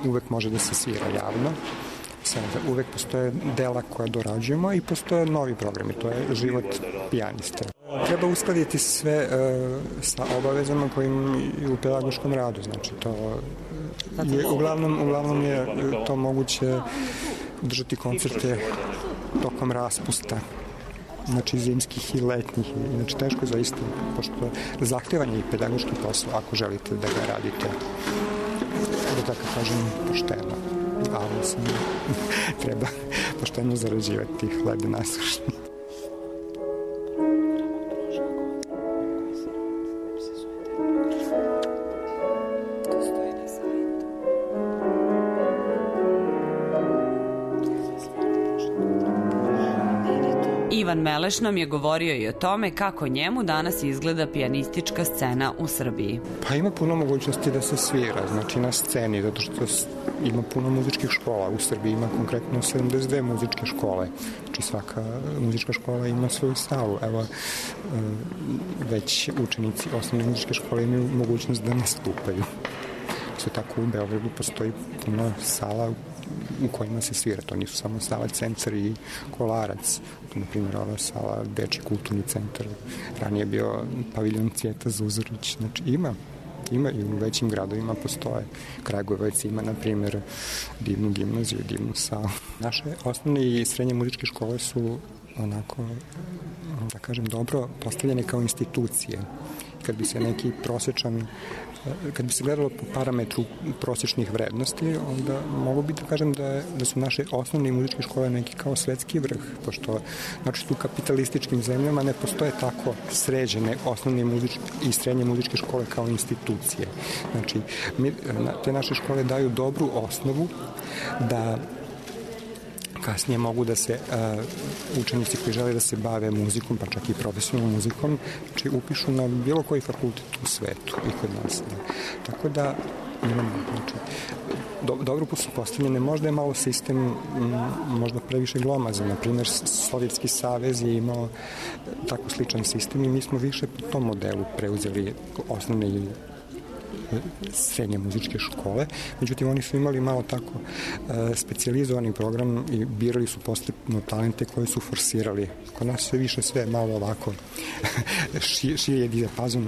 S5: uvek može da se svira javno. Uvek postoje dela koja dorađujemo i postoje novi programi, to je život pijaniste. Treba uskladiti sve sa obavezama kojim je u pedagoškom radu, znači to je, uglavnom je to moguće držati koncerte tokom raspusta, znači zimskih i letnjih, znači teško zaista, pošto zahtevanje i pedagoški posao ako želite da ga radite, da tako kažem, pošteno, ali mislim, treba pošteno zarađivati hleb nasušni.
S6: Ivan Meleš nam je govorio i o tome kako njemu danas izgleda pijanistička scena u Srbiji.
S5: Pa ima puno mogućnosti da se svira, znači na sceni, zato što ima puno muzičkih škola. U Srbiji ima konkretno 72 muzičke škole. Znači svaka muzička škola ima svoju salu. Evo, već učenici osnovne muzičke škole imaju mogućnost da nastupaju. Sve tako u Beogradu postoji puno sala u kojima se svira. To nisu samo sala Cencar i Kolarac. Na primjer, ova sala Dečji kulturni centar. Ranije je bio paviljon Cvijeta Zuzorić. Znači, ima i u većim gradovima postoje. Kragujevac ima, na primjer, divnu gimnaziju, divnu salu. Naše osnovne i srednje muzičke škole su onako, da kažem, dobro postavljene kao institucije. Kad bi se neki prosječan, kad bi se gledalo po parametru prosječnih vrednosti, onda mogu bi da kažem da su naše osnovne i muzičke škole neki kao svetski vrh, pošto znači u kapitalističkim zemljama ne postoje tako sređene osnovne i srednje muzičke škole kao institucije. Znači, te naše škole daju dobru osnovu da kasnije mogu da se učenici koji žele da se bave muzikom, pa čak i profesionalnom muzikom, znači upišu na bilo koji fakultet u svetu i kod nas. Tako da imamo, znači, dobro su postavljene, možda je malo sistem možda previše glomazan. Na primjer, Sovjetski savez je imao tako sličan sistem i mi smo više po tom modelu preuzeli osnovne i srednje muzičke škole, međutim oni su imali malo tako specijalizovani program i birali su postepeno talente koje su forsirali. Kod nas sve više sve malo ovako širi je dijapazon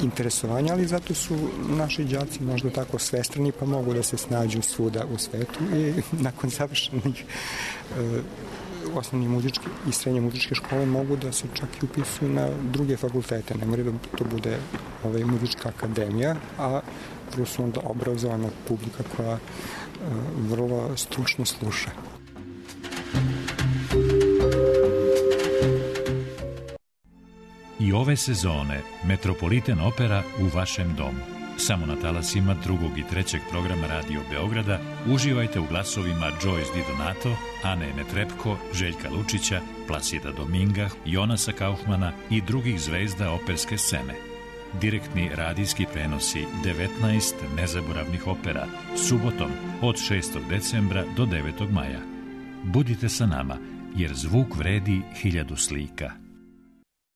S5: interesovanja, ali zato su naši đaci možda tako svestrani pa mogu da se snađu svuda u svetu i nakon završenih osnovne muzičke i srednje muzičke škole mogu da se čak i upisuju na druge fakultete. Ne mora da to bude muzička akademija, a prvo su onda obrazovana publika koja vrlo stručno sluša.
S7: ove sezone Metropolitan Opera u vašem domu. Samo na talasima 2. i 3. programa Radio Beograda uživajte u glasovima Joyce Di Donato, Ane Netrebko, Željka Lučića, Plasida Dominga, Jonasa Kaufmana i drugih zvezda operske scene. Direktni radijski prenosi 19 nezaboravnih opera subotom od 6. decembra do 9. maja. Budite sa nama, jer zvuk vredi 1000 slika.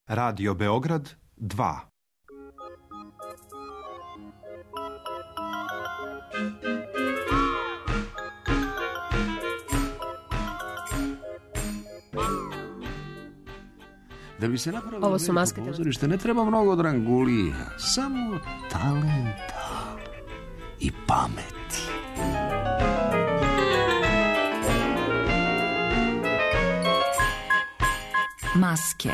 S9: Radio Beograd 2.
S23: Da bi se napravilo veliko pozorište ne treba mnogo drangulija, samo talenta i pameti.
S24: Maske.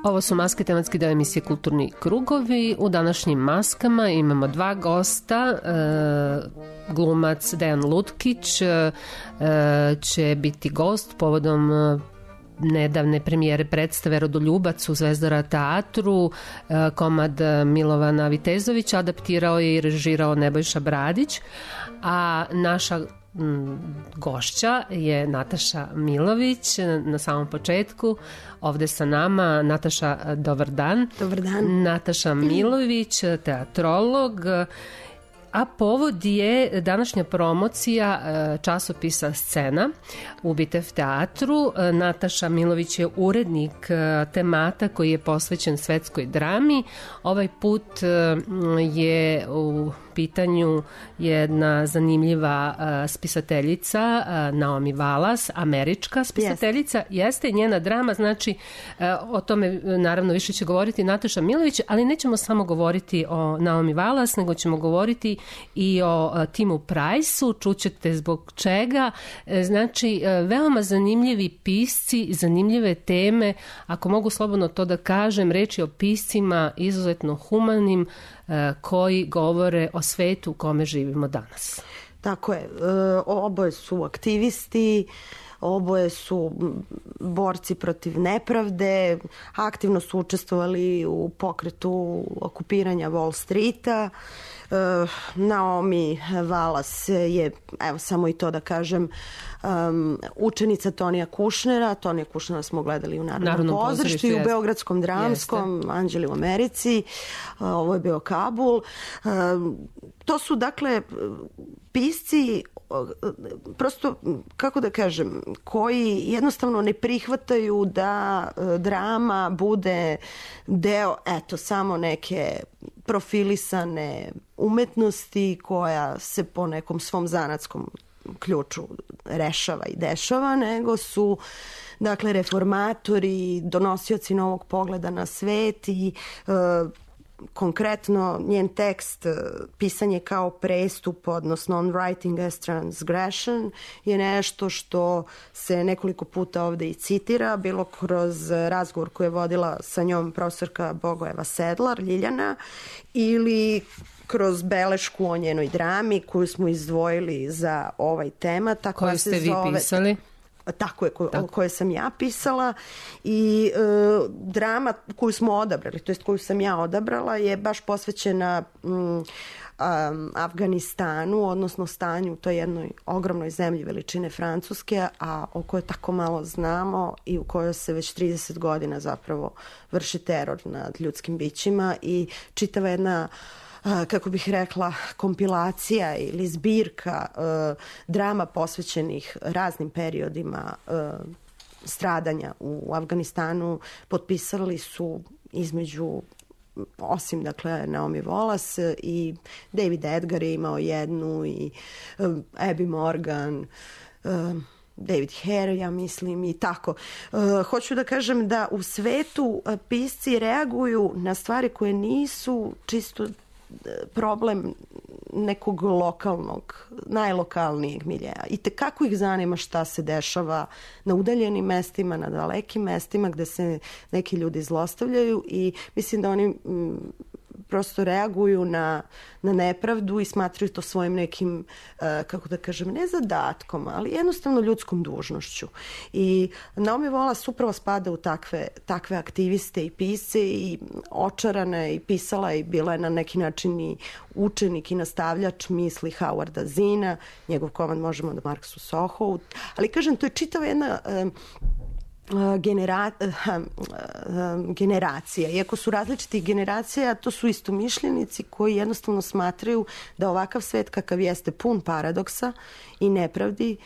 S4: Ovo su maske, tematski deo emisije Kulturni krugovi. U današnjim maskama imamo dva gosta. Glumac Dejan Lutkić će biti gost povodom nedavne premijere predstave Rodoljubac u Zvezdara teatru. Komad Milovana Vitezovića adaptirao je i režirao Nebojša Bradić, a naša gošća je Nataša Milović na samom početku ovde sa nama. Nataša, dobar dan.
S8: Dobar dan.
S4: Nataša Milović, teatrolog, a povod je današnja promocija časopisa Scena u Bitev teatru. Nataša Milović je urednik temata koji je posvećen svetskoj drami. Ovaj put je u pitanju jedna zanimljiva spisateljica, Naomi Wallace, američka spisateljica. Jeste njena drama, znači o tome naravno više će govoriti Nataša Milović, ali nećemo samo govoriti o Naomi Wallace, nego ćemo govoriti i o Timu Price-u, čućete zbog čega. Znači, veoma zanimljivi pisci, zanimljive teme, ako mogu slobodno to da kažem, reč je o piscima izuzetno humanim, koji govore o svetu u kome živimo danas.
S8: Tako je. Oboje su aktivisti, oboje su borci protiv nepravde, aktivno su učestvovali u pokretu okupiranja Wall Streeta. Naomi Wallace je, evo samo i to da kažem, učenica Tonija Kušnera. Tonija Kušnera smo gledali u Narodnom pozorištu i u Beogradskom dramskom, Anđeli u Americi. Ovo je bio Kabul. To su, dakle, pisci, prosto, kako da kažem, koji jednostavno ne prihvataju da drama bude deo, eto, samo neke profilisane umetnosti koja se po nekom svom zanatskom ključu rešava i dešava, nego su, dakle, reformatori, donosioci novog pogleda na svet i konkretno njen tekst pisanje kao prestup, odnosno on writing as transgression, je nešto što se nekoliko puta ovde i citira, bilo kroz razgovor koji je vodila sa njom profesorka Bogojeva Sedlar, Ljiljana, ili kroz belešku o njenoj drami koju smo izdvojili za ovaj tema.
S4: Koju ste vi pisali?
S8: Tako je, koje sam ja pisala, i drama koju smo odabrali, to jest koju sam ja odabrala, je baš posvećena Afganistanu, odnosno stanju u toj jednoj ogromnoj zemlji veličine Francuske, a o kojoj tako malo znamo i u kojoj se već 30 godina zapravo vrši teror nad ljudskim bićima, i čitava jedna, kako bih rekla, kompilacija ili zbirka drama posvećenih raznim periodima stradanja u Afganistanu potpisali su između, osim, dakle, Naomi Wallace, i David Edgar je imao jednu, i Abby Morgan, David Hare, ja mislim, i tako. Hoću da kažem da u svetu pisci reaguju na stvari koje nisu čisto problem nekog lokalnog
S10: najlokalnijeg miljeja. I kako ih zanima šta se dešava na udaljenim mestima, na dalekim mestima gde se neki ljudi zlostavljaju i mislim da oni prosto reaguju na nepravdu i smatraju to svojim nekim, kako da kažem, ne zadatkom, ali jednostavno ljudskom dužnošću. I Naomi Wallace upravo spada u takve aktiviste i pisce i očarana je i pisala i bila je na neki način i učenik i nastavljač misli Howarda Zinna, njegov komad možemo da Marksu Sohovu, ali kažem, to je čitava jedna generacija. Iako su različitih generacija, to su istomišljenici koji jednostavno smatraju da ovakav svet kakav jeste pun paradoksa i nepravdi,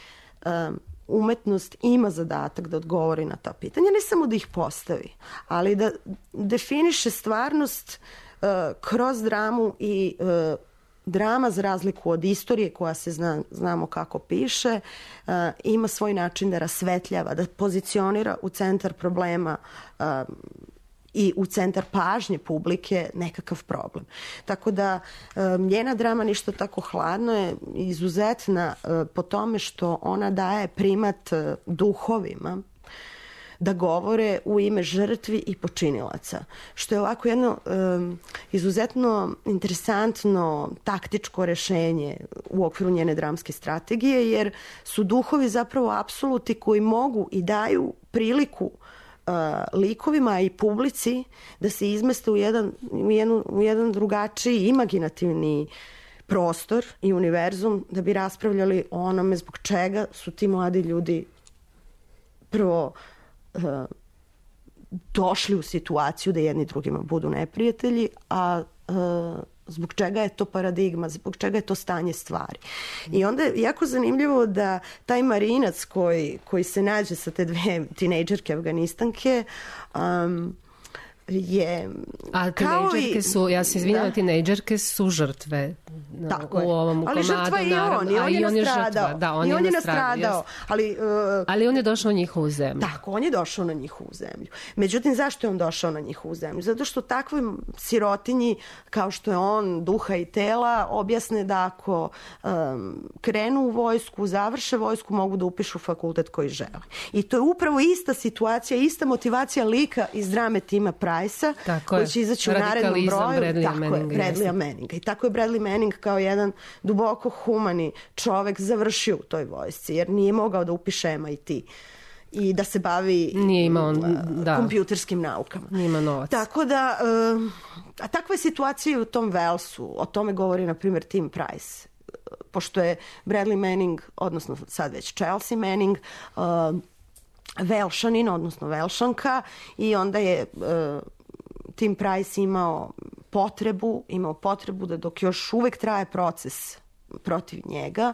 S10: umetnost ima zadatak da odgovori na ta pitanja. Ne samo da ih postavi, ali da definiše stvarnost kroz dramu i drama, za razliku od istorije koja se znamo kako piše, ima svoj način da rasvetljava, da pozicionira u centar problema i u centar pažnje publike nekakav problem. Tako da njena drama Ništa tako hladno je izuzetna po tome što ona daje primat duhovima da govore u ime žrtvi i počinilaca. Što je ovako jedno izuzetno interesantno taktičko rešenje u okviru njene dramske strategije, jer su duhovi zapravo apsoluti koji mogu i daju priliku likovima i publici da se izmeste u jedan drugačiji imaginativni prostor i univerzum da bi raspravljali o onome zbog čega su ti mladi ljudi prvo došli u situaciju da jedni drugima budu neprijatelji, a zbog čega je to paradigma, zbog čega je to stanje stvari. I onda je jako zanimljivo da taj marinac koji se nađe sa te dve tinejdžerke Afganistanke je...
S4: A tinejdžerke su, ja se izvinjam, tinejdžerke su žrtve u ovom komadu.
S10: Ali žrtva i on, i on je nastradao.
S4: Da, on je nastradao. Ali on je došao na njihovu zemlju.
S10: Tako, on je došao na njihovu zemlju. Međutim, zašto je on došao na njihovu zemlju? Zato što takvoj sirotinji, kao što je on, duha i tela, objasne da ako krenu u vojsku, završe vojsku, mogu da upišu fakultet koji žele. I to je upravo ista situacija, ista motivacija lika iz drame Tima Price-a, koji će izaći u narednom broju. Bradleya Manninga. I tako je Bradley Manning kao jedan duboko humani čovek završio u toj vojsci, jer nije mogao da upiše MIT i da se bavi kompjuterskim naukama.
S4: Nije imao novac.
S10: Tako da, a takva je situacija u tom Walesu. O tome govori, na primjer, Tim Price. Pošto je Bradley Manning, odnosno sad već Chelsea Manning, Velšanin, odnosno Velšanka, i onda je Tim Price imao potrebu da dok još uvek traje proces protiv njega,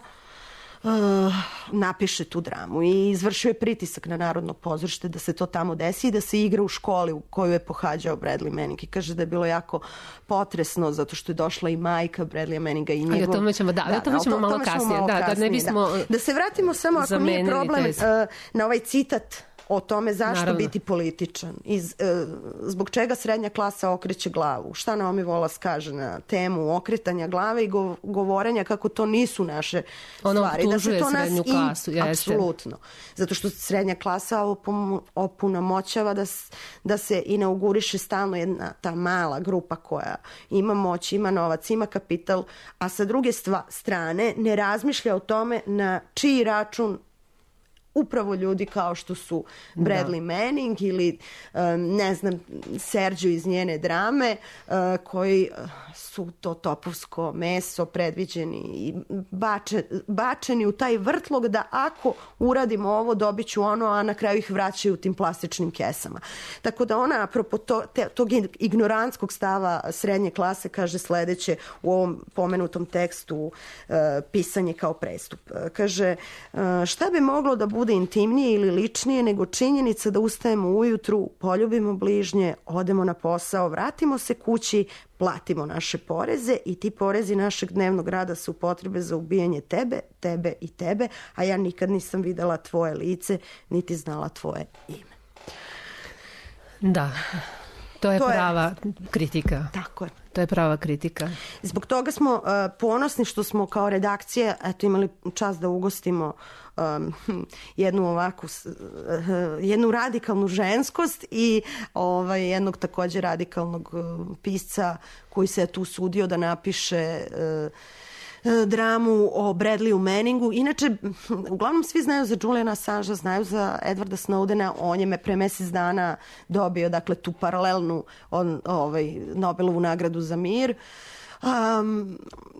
S10: napiše tu dramu i izvršio je pritisak na Narodno pozorište da se to tamo desi i da se igra u školi u koju je pohađao Bradley Manning, i kaže da je bilo jako potresno zato što je došla i majka Bradleya Manninga i njegov...
S4: O tome ćemo malo kasnije.
S10: Da se vratimo samo, ako nije problem, na ovaj citat o tome zašto biti političan, zbog čega srednja klasa okreće glavu. Šta Naomi Wallace kaže na temu okretanja glave i govorenja kako to nisu naše stvari.
S4: Da se to srednju klasu.
S10: Apsolutno. Zato što srednja klasa opunomoćava da se inauguriše stalno jedna ta mala grupa koja ima moć, ima novac, ima kapital, a sa druge strane ne razmišlja o tome na čiji račun upravo ljudi kao što su Bradley Manning ili ne znam, Sergio iz njene drame, koji su to topovsko meso predviđeni i bačeni u taj vrtlog da ako uradimo ovo dobit ću ono, a na kraju ih vraćaju u tim plastičnim kesama. Tako da ona, apropo tog ignorantskog stava srednje klase, kaže sledeće u ovom pomenutom tekstu Pisanje kao prestup. Kaže, šta bi moglo da bude intimnije ili ličnije nego činjenica da ustajemo ujutru, poljubimo bližnje, odemo na posao, vratimo se kući, platimo naše poreze i ti porezi našeg dnevnog rada su potrebe za ubijanje tebe i tebe, a ja nikad nisam videla tvoje lice, niti znala tvoje ime.
S4: Da, to je prava kritika.
S10: Tako je.
S4: To je prava kritika.
S10: Zbog toga smo ponosni što smo kao redakcija imali čast da ugostimo jednu radikalnu ženskost i jednog također radikalnog pisca koji se je tu sudio da napiše dramu o Bradleyu Manningu. Inače, uglavnom svi znaju za Juliana Assangea, znaju za Edwarda Snowdena. On je pre mesec dana dobio tu paralelnu Nobelovu nagradu za mir.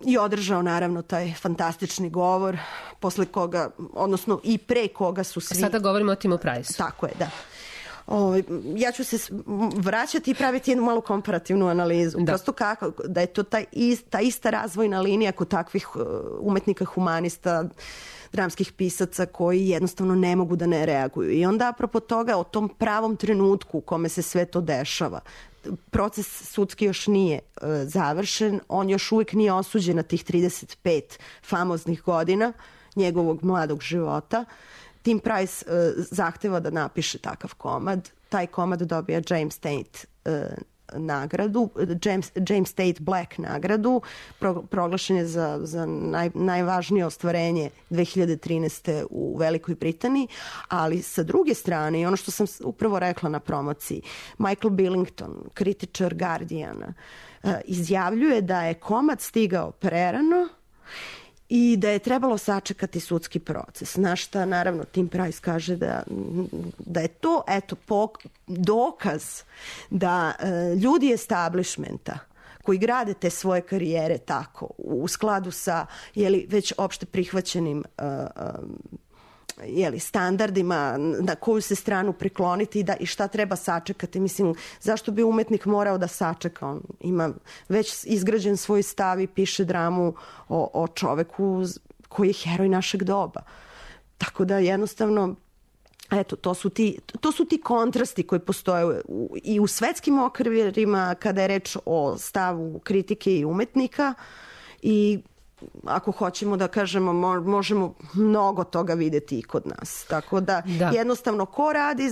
S10: I održao naravno taj fantastični govor posle koga, odnosno i pre koga su svi...
S4: Sada govorimo o Timu Price.
S10: Tako je, da. Ja ću se vraćati i praviti jednu malu komparativnu analizu. Prosto kako, da je to ta ista razvojna linija kod takvih umetnika, humanista, dramskih pisaca koji jednostavno ne mogu da ne reaguju. I onda apropo toga, o tom pravom trenutku u kome se sve to dešava, proces sudski još nije završen, on još uvijek nije osuđen na tih 35 famoznih godina njegovog mladog života. Tim Price zahteva da napiše takav komad. Taj komad dobija James Tate nagradu, James Tate Black nagradu, proglašen je za najvažnije ostvarenje 2013. u Velikoj Britaniji, ali sa druge strane, i ono što sam upravo rekla na promociji, Michael Billington, kritičar Guardiana, izjavljuje da je komad stigao prerano i da je trebalo sačekati sudski proces. Na šta, naravno, Tim Price kaže da je to dokaz da ljudi establishmenta koji grade te svoje karijere tako, u skladu sa već opšte prihvaćenim standardima na koju se stranu prikloniti i šta treba sačekati. Mislim, zašto bi umetnik morao da sačeka? On ima već izgrađen svoj stav i piše dramu o čoveku koji je heroj našeg doba. Tako da jednostavno to su ti kontrasti koji postoje i u svetskim okvirima kada je reč o stavu kritike i umetnika i ako hoćemo da kažemo, možemo mnogo toga videti i kod nas. Tako da jednostavno ko radi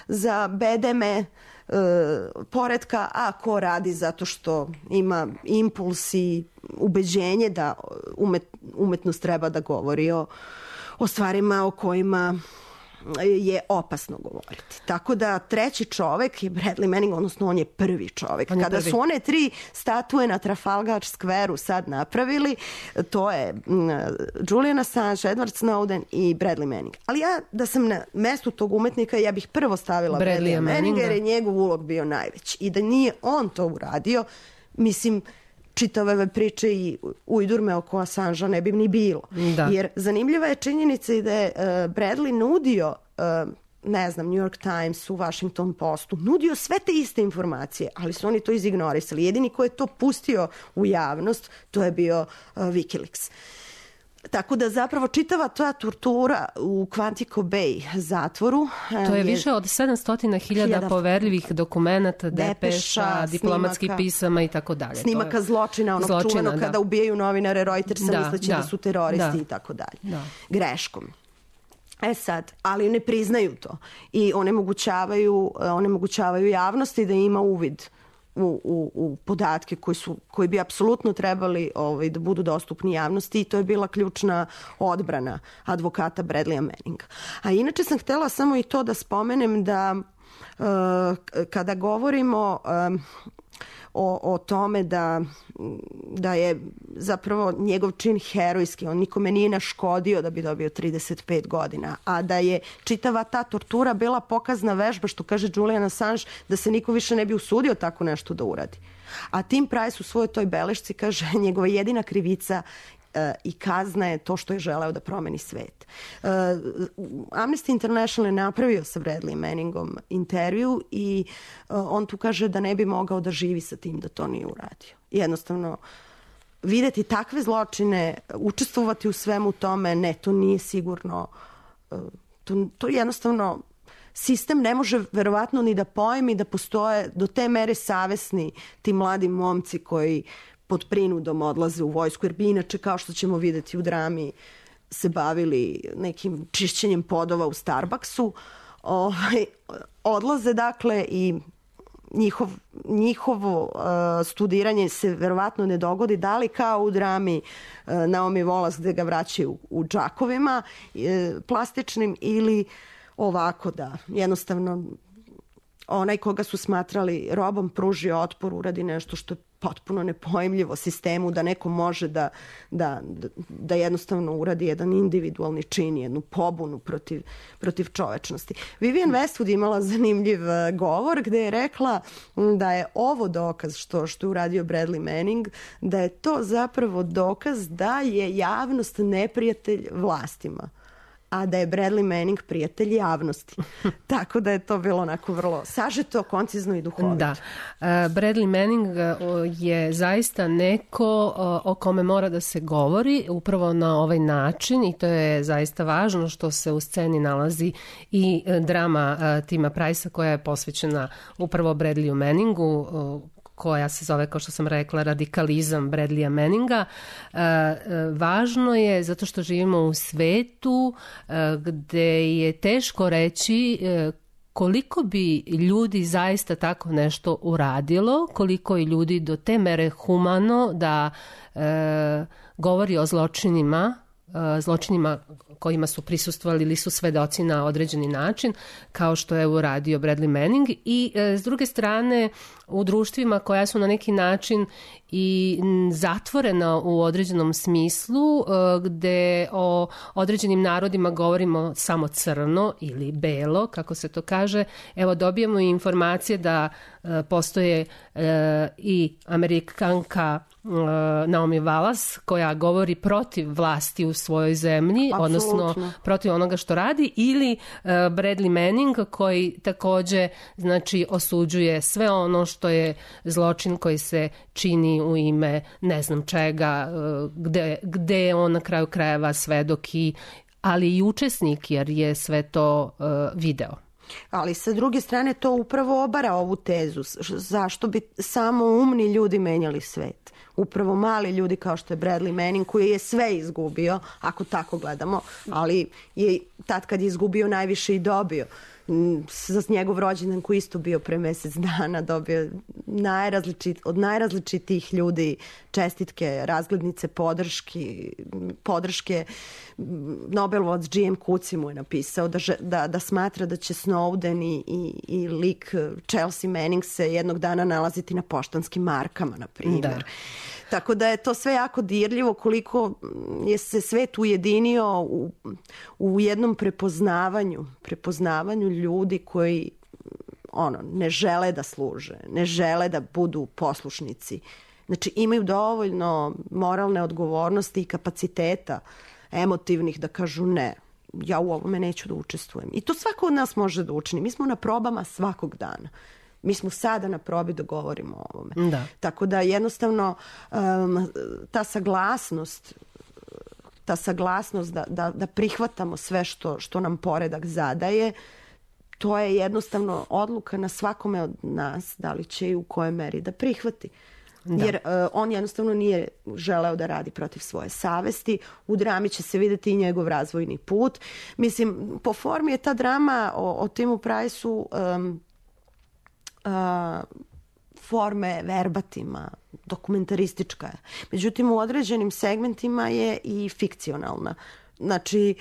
S10: za bedeme poretka, a ko radi zato što ima impuls i ubeđenje da umetnost treba da govori o stvarima o kojima je opasno govoriti. Tako da treći čovek je Bradley Manning, odnosno on je prvi čovek. Kada su one 3 statue na Trafalgar Square-u sad napravili, to je Julian Assange, Edward Snowden i Bradley Manning. Ali ja da sam na mestu tog umetnika, ja bih prvo stavila Bradleya Manninga jer je njegov ulog bio najveći. I da nije on to uradio, mislim, čitave ove priče i ujdurme oko Assangea ne bi ni bilo. Jer zanimljiva je činjenica i da je Bradley nudio, ne znam, New York Times, u Washington Postu, nudio sve te iste informacije, ali su oni to izignorisali. Jedini ko je to pustio u javnost, to je bio Wikileaks. Tako da zapravo čitava ta tortura u Quantico Bay zatvoru...
S4: To je više od 700.000 poverljivih dokumenata, depeša, diplomatskih pisama i tako dalje.
S10: Snimaka zločina, onog čuvenog kada ubijaju novinare Reutersa misleći da su teroristi i tako dalje. Greškom. Sad, ali ne priznaju to i onemogućavaju javnosti da ima uvid u podatke koji bi apsolutno trebali da budu dostupni javnosti i to je bila ključna odbrana advokata Bradleya Manninga. A inače sam htjela samo i to da spomenem da kada govorimo o tome da je zapravo njegov čin herojski, on nikome nije naškodio da bi dobio 35 godina, a da je čitava ta tortura bila pokazna vežba, što kaže Julian Assange, da se niko više ne bi usudio tako nešto da uradi. A Tim Price u svojoj toj belešci kaže njegova jedina krivica i kazna je to što je želeo da promeni svet. Amnesty International je napravio sa Bradley Manningom intervju i on tu kaže da ne bi mogao da živi sa tim da to nije uradio. Jednostavno, videti takve zločine, učestvovati u svemu tome, ne, to nije sigurno. To jednostavno sistem ne može verovatno ni da pojmi da postoje do te mere savesni ti mladi momci koji pod prinudom odlaze u vojsku, jer bi inače, kao što ćemo videti u drami, se bavili nekim čišćenjem podova u Starbucksu. Odlaze, dakle, i njihovo studiranje se verovatno ne dogodi, da li kao u drami Naomi Wallace gde ga vraćaju u džakovima plastičnim, ili ovako da jednostavno onaj koga su smatrali robom pruži otpor, uradi nešto što je potpuno nepojmljivo sistemu, da neko može da jednostavno uradi jedan individualni čin, jednu pobunu protiv čovečnosti. Vivienne Westwood imala zanimljiv govor gde je rekla da je ovo dokaz što je uradio Bradley Manning, da je to zapravo dokaz da je javnost neprijatelj vlastima, a da je Bradley Manning prijatelj javnosti. Tako da je to bilo onako vrlo sažeto, koncizno i duhovito.
S4: Da. Bradley Manning je zaista neko o kome mora da se govori upravo na ovaj način, i to je zaista važno što se u sceni nalazi i drama Tima Price-a koja je posvećena upravo Bradleyu Manningu, koja se zove, kao što sam rekla, Radikalizam Bradleya Manninga. Važno je zato što živimo u svetu gde je teško reći koliko bi ljudi zaista tako nešto uradilo, koliko je ljudi do te mere humano da govori o zločinima kojima su prisustvovali ili su svedoci na određeni način, kao što je uradio Bradley Manning. I s druge strane, u društvima koja su na neki način i zatvorena u određenom smislu, gde o određenim narodima govorimo samo crno ili belo, kako se to kaže, evo dobijemo i informacije da postoje i Amerikanka Naomi Wallace koja govori protiv vlasti u svojoj zemlji, odnosno protiv onoga što radi, ili Bradley Manning koji takođe znači osuđuje sve ono što je zločin koji se čini u ime ne znam čega, gde je on na kraju krajeva svedok ali i učesnik, jer je sve to video.
S10: Ali sa druge strane to upravo obara ovu tezu. Zašto bi samo umni ljudi menjali svet? Upravo mali ljudi kao što je Bradley Manning, koji je sve izgubio, ako tako gledamo, ali je tad kad je izgubio najviše i dobio. Za njegov rođendan koji isto bio pre mesec dana dobio od najrazličitijih ljudi čestitke, razglednice, podrške. Nobelovac G.M. Kuci mu je napisao da smatra da će Snowden i lik Chelsea Manning se jednog dana nalaziti na poštanskim markama, na primjer. Tako da je to sve jako dirljivo, koliko je se svet ujedinio u jednom prepoznavanju ljudi koji ne žele da služe, ne žele da budu poslušnici. Znači imaju dovoljno moralne odgovornosti i kapaciteta emotivnih da kažu ne, ja u ovome neću da učestvujem. I to svako od nas može da učini. Mi smo na probama svakog dana. Mi smo sada na probi da govorimo o ovome. Da. Tako da jednostavno ta saglasnost da prihvatamo sve što nam poredak zadaje, to je jednostavno odluka na svakome od nas da li će i u kojoj meri da prihvati. Da. Jer on jednostavno nije želeo da radi protiv svoje savesti. U drami će se videti i njegov razvojni put. Mislim, po formi je ta drama o Timu Price-u forme verbatima, dokumentaristička je. Međutim, u određenim segmentima je i fikcionalna. Znači,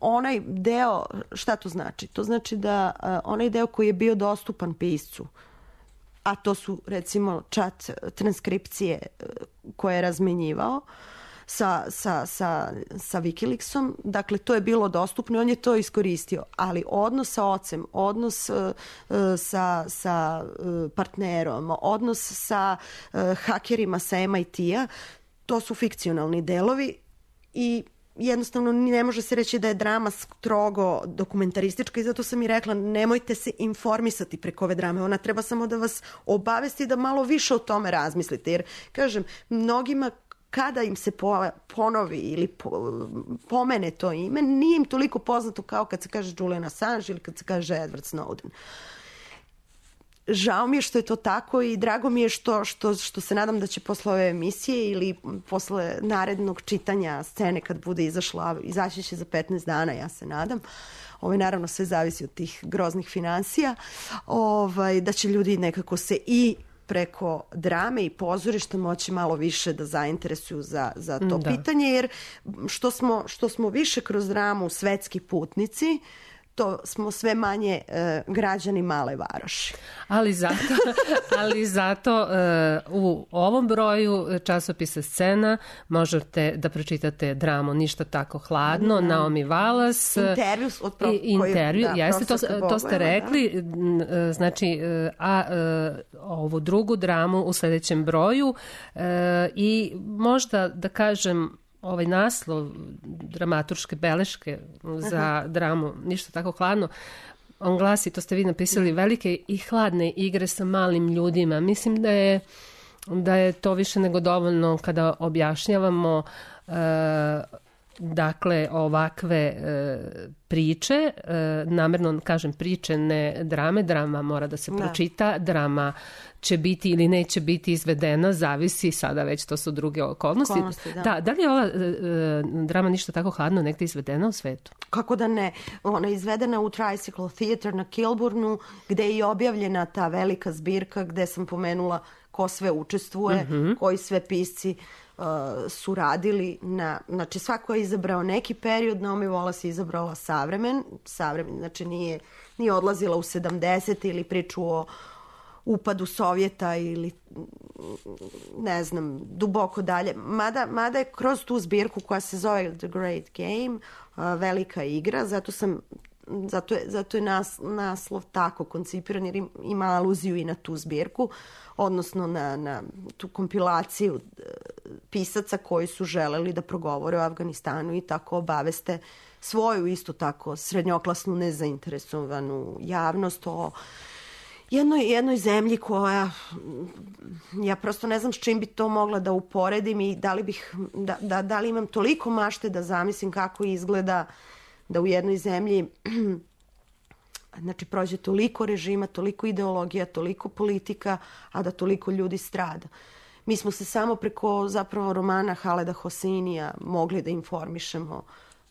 S10: onaj deo, šta to znači? To znači da onaj deo koji je bio dostupan piscu, a to su recimo chat transkripcije koje je razmenjivao sa Wikileaksom, dakle to je bilo dostupno i on je to iskoristio, ali odnos sa ocem, odnos sa partnerom, odnos sa hakerima sa MIT-a, to su fikcionalni delovi i jednostavno ne može se reći da je drama strogo dokumentaristička i zato sam i rekla nemojte se informisati preko ove drame. Ona treba samo da vas obavesti da malo više o tome razmislite. Jer, kažem, mnogima kada im se ponovi ili pomene to ime, nije im toliko poznato kao kad se kaže Julian Assange ili kad se kaže Edward Snowden. žao mi je što je to tako i drago mi je što se nadam da će posle ove emisije ili posle narednog čitanja scene kad bude izaći će za 15 dana, ja se nadam. Naravno sve zavisi od tih groznih finansija, da će ljudi nekako se i preko drame i pozorišta moći malo više da zainteresuju za to pitanje, jer što smo više kroz dramu svetski putnici, to smo sve manje građani male varoši.
S4: Ali zato u ovom broju časopisa Scena možete da pročitate dramu Ništa tako hladno, Naomi Wallace. Intervju, jeste, to ste rekli. Znači, ovu drugu dramu u sledećem broju i možda da kažem ovaj naslov dramaturške beleške za dramu Ništa tako hladno, on glasi, to ste vi napisali, velike i hladne igre sa malim ljudima. Mislim da je to više nego dovoljno kada objašnjavamo dakle ovakve priče, namerno kažem priče, ne drame, drama mora da se pročita, drama će biti ili neće biti izvedena, zavisi, sada već to su druge okolnosti. Da li je ova drama Ništa tako hladno negde izvedena u svetu?
S10: Kako da ne? Ona je izvedena u Tricycle Theatre na Kilburnu, gde je i objavljena ta velika zbirka gde sam pomenula ko sve učestvuje, koji sve pisci su radili znači svako je izabrao neki period, Naomi Wallace je izabrala savremen, znači nije odlazila u 70. ili priču o upadu Sovjeta ili ne znam, duboko dalje. Mada je kroz tu zbirku koja se zove The Great Game, velika igra, zato je naslov tako koncipiran jer ima aluziju i na tu zbirku, odnosno na tu kompilaciju pisaca koji su želeli da progovore o Afganistanu i tako obaveste svoju isto tako srednjoklasnu nezainteresovanu javnost o jednoj zemlji koja, ja prosto ne znam s čim bi to mogla da uporedim i da li imam toliko mašte da zamislim kako izgleda da u jednoj zemlji znači prođe toliko režima, toliko ideologija, toliko politika, a da toliko ljudi strada. Mi smo se samo preko zapravo romana Haleda Hoseinija mogli da informišemo,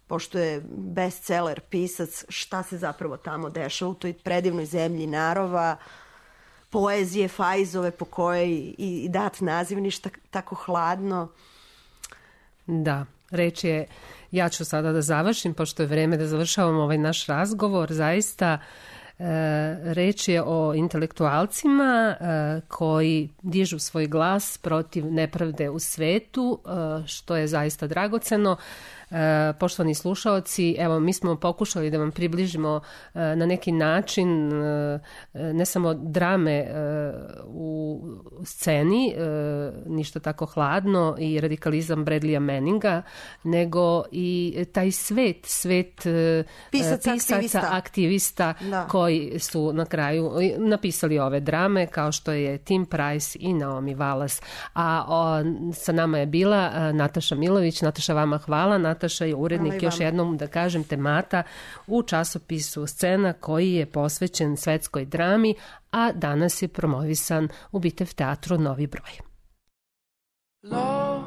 S10: pošto je bestseller pisac, šta se zapravo tamo dešava u toj predivnoj zemlji narova, poezije Fajzove po kojoj i dat naziv Ništa tako hladno.
S4: Da, reč je, ja ću sada da završim, pošto je vreme da završavamo ovaj naš razgovor, zaista reč je o intelektualcima koji dižu svoj glas protiv nepravde u svetu, što je zaista dragoceno. Poštovani slušaoci, evo mi smo pokušali da vam približimo na neki način ne samo drame u sceni, Ništa tako hladno i radikalizam Bradleya Manninga, nego i taj svet pisaca, aktivista koji su na kraju napisali ove drame kao što je Tim Price i Naomi Wallace. A sa nama je bila Nataša Milović. Nataša, vama hvala. Nataša je urednik, još jednom da kažem, temata u časopisu Scena koji je posvećen svetskoj drami, a danas je promovisan u Bitev teatru Novi broj. Love,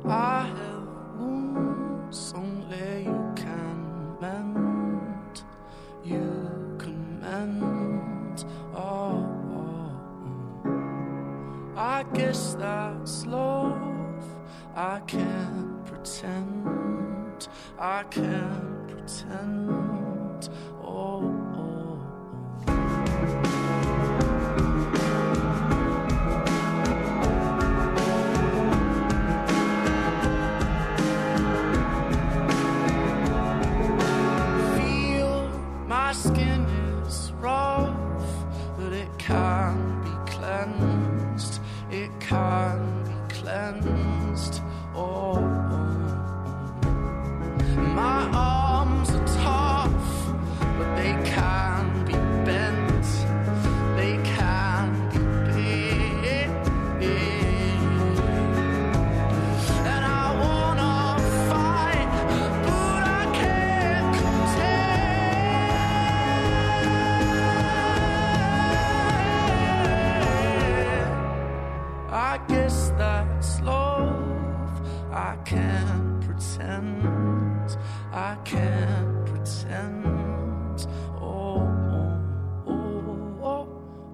S4: I have wounds only you can mend, you can mend, oh. I guess that's love, I can't pretend, I can't pretend, oh. Feel my skin is rough, but it can be cleansed, it can be cleansed, oh. My arms are taut,
S21: pretend. I can't pretend. Oh, oh, oh, oh,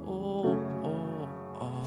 S21: oh, oh, oh.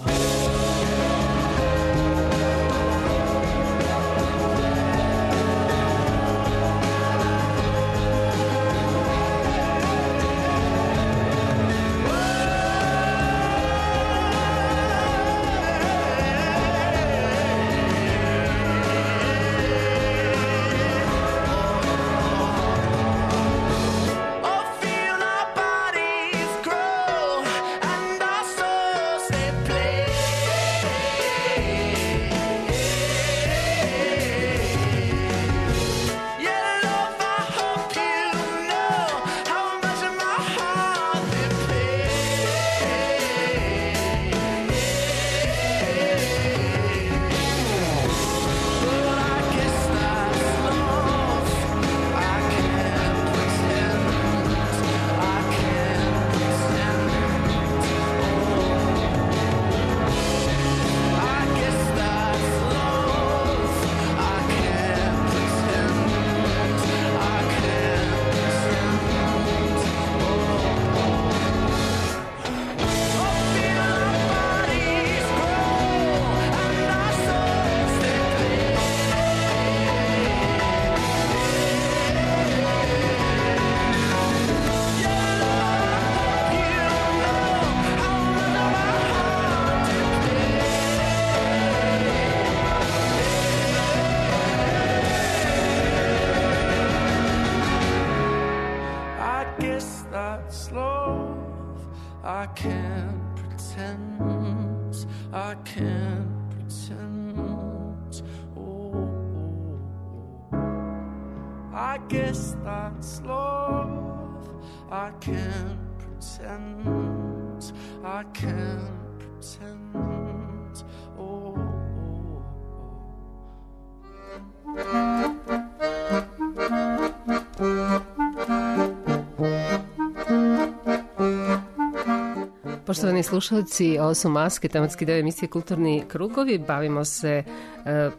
S4: Poštovani slušalci, ovo su Maske, tematski deo emisije Kulturni krugovi. Bavimo se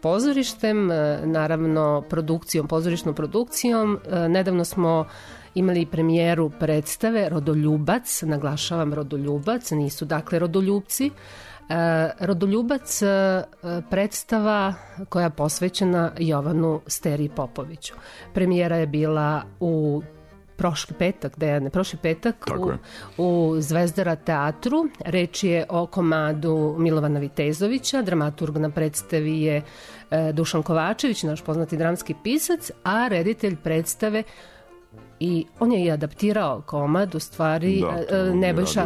S4: pozorištem, naravno pozorišnom produkcijom. Nedavno smo imali premijeru predstave Rodoljubac, naglašavam Rodoljubac, nisu dakle Rodoljubci. Rodoljubac predstava koja je posvećena Jovanu Steriji Popoviću. Premijera je bila u prošli petak u Zvezdara teatru. Reč je o komadu Milovana Vitezovića, dramaturg na predstavi je Dušan Kovačević, naš poznati dramski pisac, a reditelj predstave i on je i adaptirao komad, u stvari Nebojša,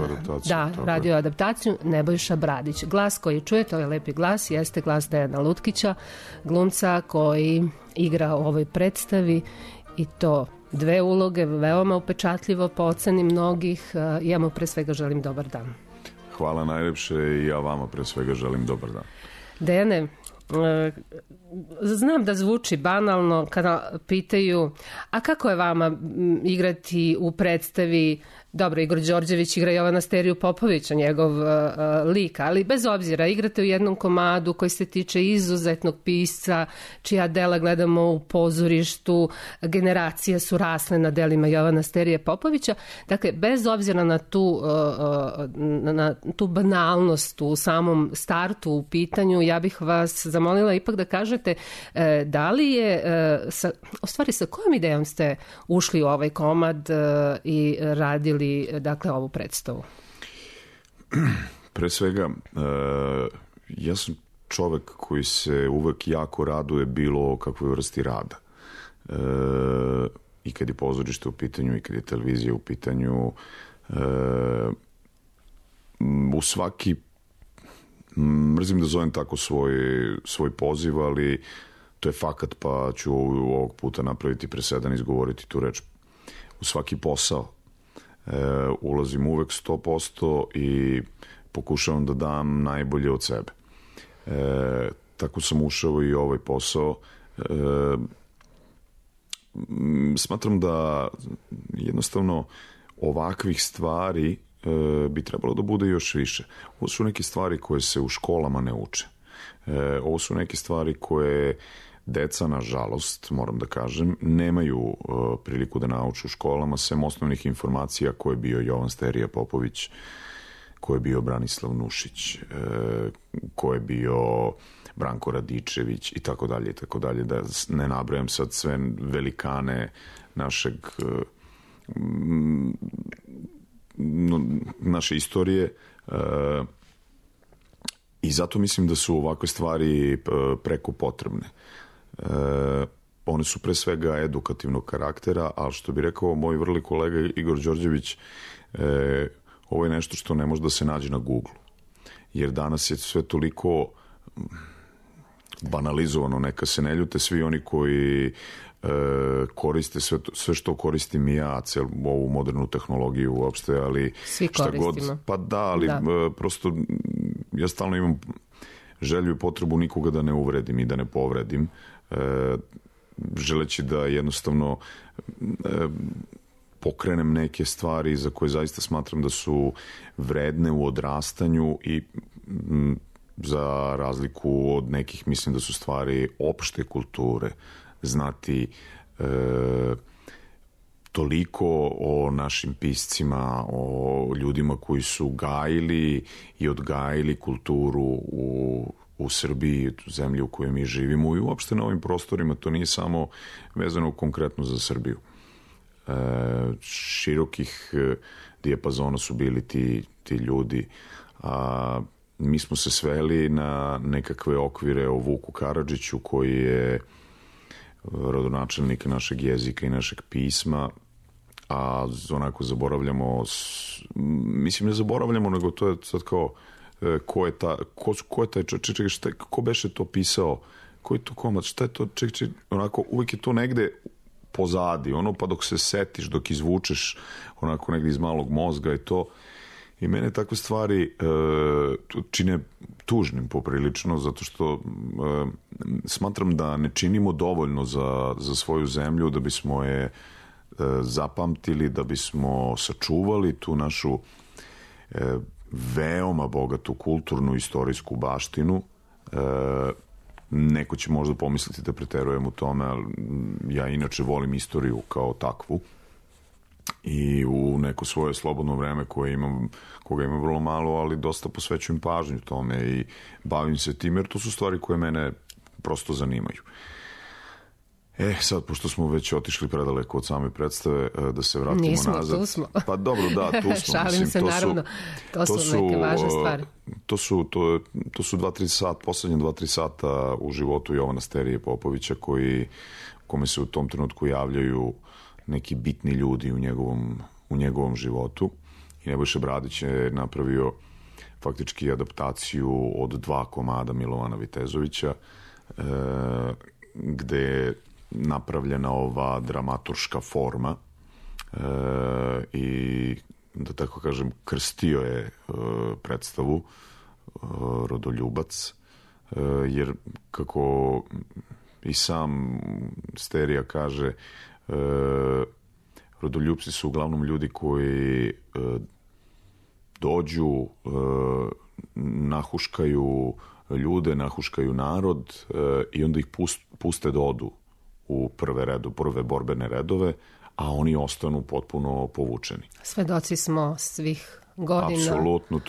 S4: radio adaptaciju, Nebojša Bradić. Glas koji čujete, ovaj lepi glas, jeste glas Dejana Lutkića, glumca koji igra u ovoj predstavi i to 2 uloge, veoma upečatljivo po oceni mnogih. Ja mu pre svega želim dobar dan.
S11: Hvala najlepše i ja vama pre svega želim dobar dan.
S4: Dejane, znam da zvuči banalno kada pitaju, a kako je vama igrati u predstavi, dobro, Igor Đorđević igra Jovana Steriju Popovića, njegov lik, ali bez obzira, igrate u jednom komadu koji se tiče izuzetnog pisca, čija dela gledamo u pozorištu, generacije su rasle na delima Jovana Sterije Popovića, dakle, bez obzira na tu banalnost u samom startu u pitanju, ja bih vas zamolila ipak da kažete da li je, sa kojom idejom ste ušli u ovaj komad i radili dakle ovu predstavu?
S11: Pre svega, ja sam čovek koji se uvek jako raduje bilo kakvoj vrsti rada. I kad je pozorište u pitanju, i kad je televizija u pitanju, u svaki, mrzim da zovem tako svoj poziv, ali to je fakat, pa ću ovog puta napraviti presedan, izgovoriti tu reč. U svaki posao ulazim uvek 100% i pokušavam da dam najbolje od sebe. Tako sam ušao i ovaj posao. Smatram da jednostavno ovakvih stvari bi trebalo da bude još više. Ovo su neke stvari koje se u školama ne uče. Ovo su neke stvari koje deca, nažalost, moram da kažem, nemaju priliku da nauče u školama, sem osnovnih informacija ko je bio Jovan Sterija Popović, ko je bio Branislav Nušić, ko je bio Branko Radičević i tako dalje, da ne nabrajam sad sve velikane naše istorije, i zato mislim da su ovakve stvari preko potrebne. One su pre svega edukativnog karaktera, ali što bi rekao moj vrli kolega Igor Đorđević, ovo je nešto što ne može da se nađe na Google, jer danas je sve toliko banalizovano, neka se ne ljute svi oni koji koriste sve što koristim i ja, celu ovu modernu tehnologiju uopšte, ali
S4: svi koristimo.
S11: Pa da, ali prosto ja stalno imam želju i potrebu nikoga da ne uvredim i da ne povredim, želeći da jednostavno pokrenem neke stvari za koje zaista smatram da su vredne u odrastanju i za razliku od nekih mislim da su stvari opšte kulture, znati toliko o našim piscima, o ljudima koji su gajili i odgajili kulturu u Srbiji, zemlji u kojoj mi živimo i uopšte na ovim prostorima. To nije samo vezano konkretno za Srbiju. Širokih dijapazona su bili ti ljudi, a mi smo se sveli na nekakve okvire o Vuku Karadžiću, koji je rodonačelnik našeg jezika i našeg pisma, a onako zaboravljamo, mislim ne zaboravljamo, nego to je sad kao ko je taj čovjek, ko beše to pisao, koji je to komad, šta je to, onako uvijek je to negde pozadi, pa dok se setiš, dok izvučeš onako negde iz malog mozga i to. I mene takve stvari čine tužnim poprilično, zato što smatram da ne činimo dovoljno za svoju zemlju, da bismo je zapamtili, da bismo sačuvali tu našu veoma bogatu kulturnu istorijsku baštinu. Neko će možda pomisliti da preterujem u tome, ali ja inače volim istoriju kao takvu i u neko svoje slobodno vreme koga imam vrlo malo, ali dosta posvećujem pažnju tome i bavim se tim, jer to su stvari koje mene prosto zanimaju. Sad, pošto smo već otišli predaleko od same predstave, da se vratimo nazad.
S4: Nismo, tu smo.
S11: Pa dobro, da, tu smo.
S4: Šalim se, naravno. To su neke važne stvari.
S11: To su 2-3 sata, poslednje 2-3 sata u životu Jovana Sterije Popovića, kome se u tom trenutku javljaju neki bitni ljudi u njegovom životu. I Nebojša Bradić je napravio faktički adaptaciju od 2 komada Milovana Vitezovića, gde je napravljena ova dramaturška forma i, da tako kažem, krstio je predstavu Rodoljubac, jer kako i sam Sterija kaže, rodoljupci su uglavnom ljudi koji dođu, nahuškaju ljude, nahuškaju narod i onda ih puste da odu u prve borbene redove, a oni ostanu potpuno povučeni.
S4: Svedoci smo svih godina.
S11: Apsolutno,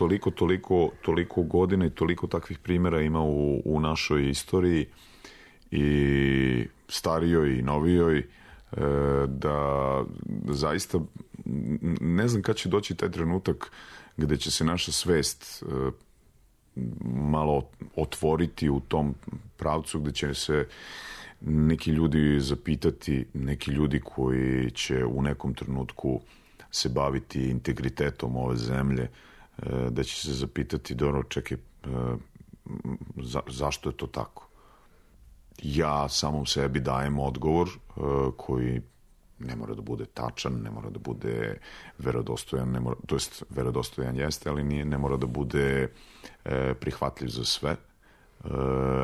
S11: toliko godina i toliko takvih primjera ima u našoj istoriji, i starijoj i novijoj, da zaista ne znam kad će doći taj trenutak gde će se naša svest malo otvoriti u tom pravcu, gde će se neki ljudi zapitati, neki ljudi koji će u nekom trenutku se baviti integritetom ove zemlje, da će se zapitati, dobro, čekaj, zašto je to tako? Ja samom sebi dajem odgovor koji ne mora da bude tačan, ne mora da bude verodostojan, to jest verodostojan jeste, ali ne mora da bude prihvatljiv za sve,